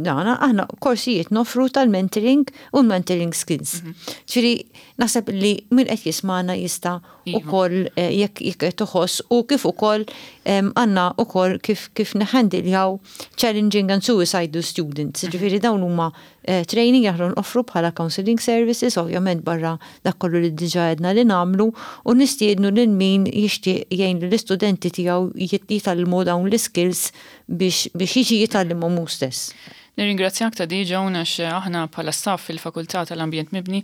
dana, aħna korsijiet nofru tal-mentoring u mentoring skills. Mhm. Ġifieri, naħseb li min qed jismana jista' iva. ukoll eh, jekk jekk toħoss u kif ukoll għandna ukoll kif kif neħandiljaw challenging and suicidal students. Mhm. Ġifieri dawn huma eh, training aħna noffru bħala counseling services, ovvjament barra dak kollu li diġà għedna li nagħmlu u nistiednu lil min jixtieq jgħin l-istudenti tiegħu jitgħallmu dawn l-skills biex biex jiġi jitgħallimhom hu stess. Nirringrazzjak ta' di Joan għax aħna bħala staff fil-Fakultà tal-Ambjent Mibni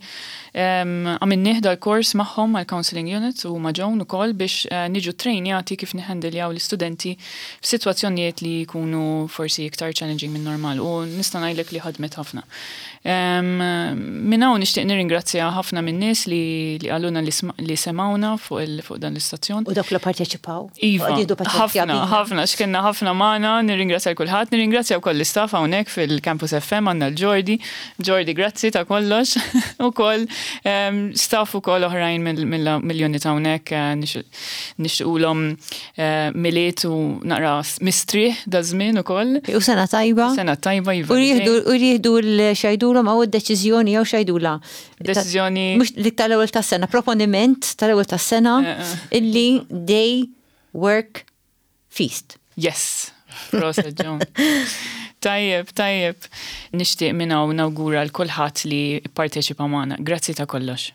għamilnieh dal-kors magħhom għal Counseling Unit u ma' Joan ukoll biex eh, niġu trejnjati kif niħendiljaw l-istudenti f'sitwazzjonijiet li jkunu forsi iktar challenging minn normal u nista' ngħidlek li ħadmet ħafna. Minn hawn nixtieq nirringrazzja ħafna minn nies li li qalulna li semawna fuq fuq dan l-istazzjon. U dawk li parteċipaw. Iva, ħafna, ħafna, x'kenna ħafna magħna, nirringrazzja kulħadd, nirringrazzja wkoll l-istaff hawnhekk fil-Campus F M għandna l-Jordi. Jordi, grazzi ta' kollox. Ukoll staff ukoll oħrajn mill-unit hawnhekk eh, nixtiqulhom eh, Milied u naqra mistrieħ da żmien ukoll. U sena tajba. Sena tajba, iva. U jieħdu l-xajdulhom għaw id-deċiżjoni jew xajdula. Deċiżjoni. Mhux dik tal-ewwel tas-sena, proponiment tal-ewwel tas-sena eh, illi day work feast. Yes. Proset, John. Tajjeb, tajjeb. Nixtieq minn hawn nawgura lil kulħadd li parteċipa magħna. Grazzi ta' kollox.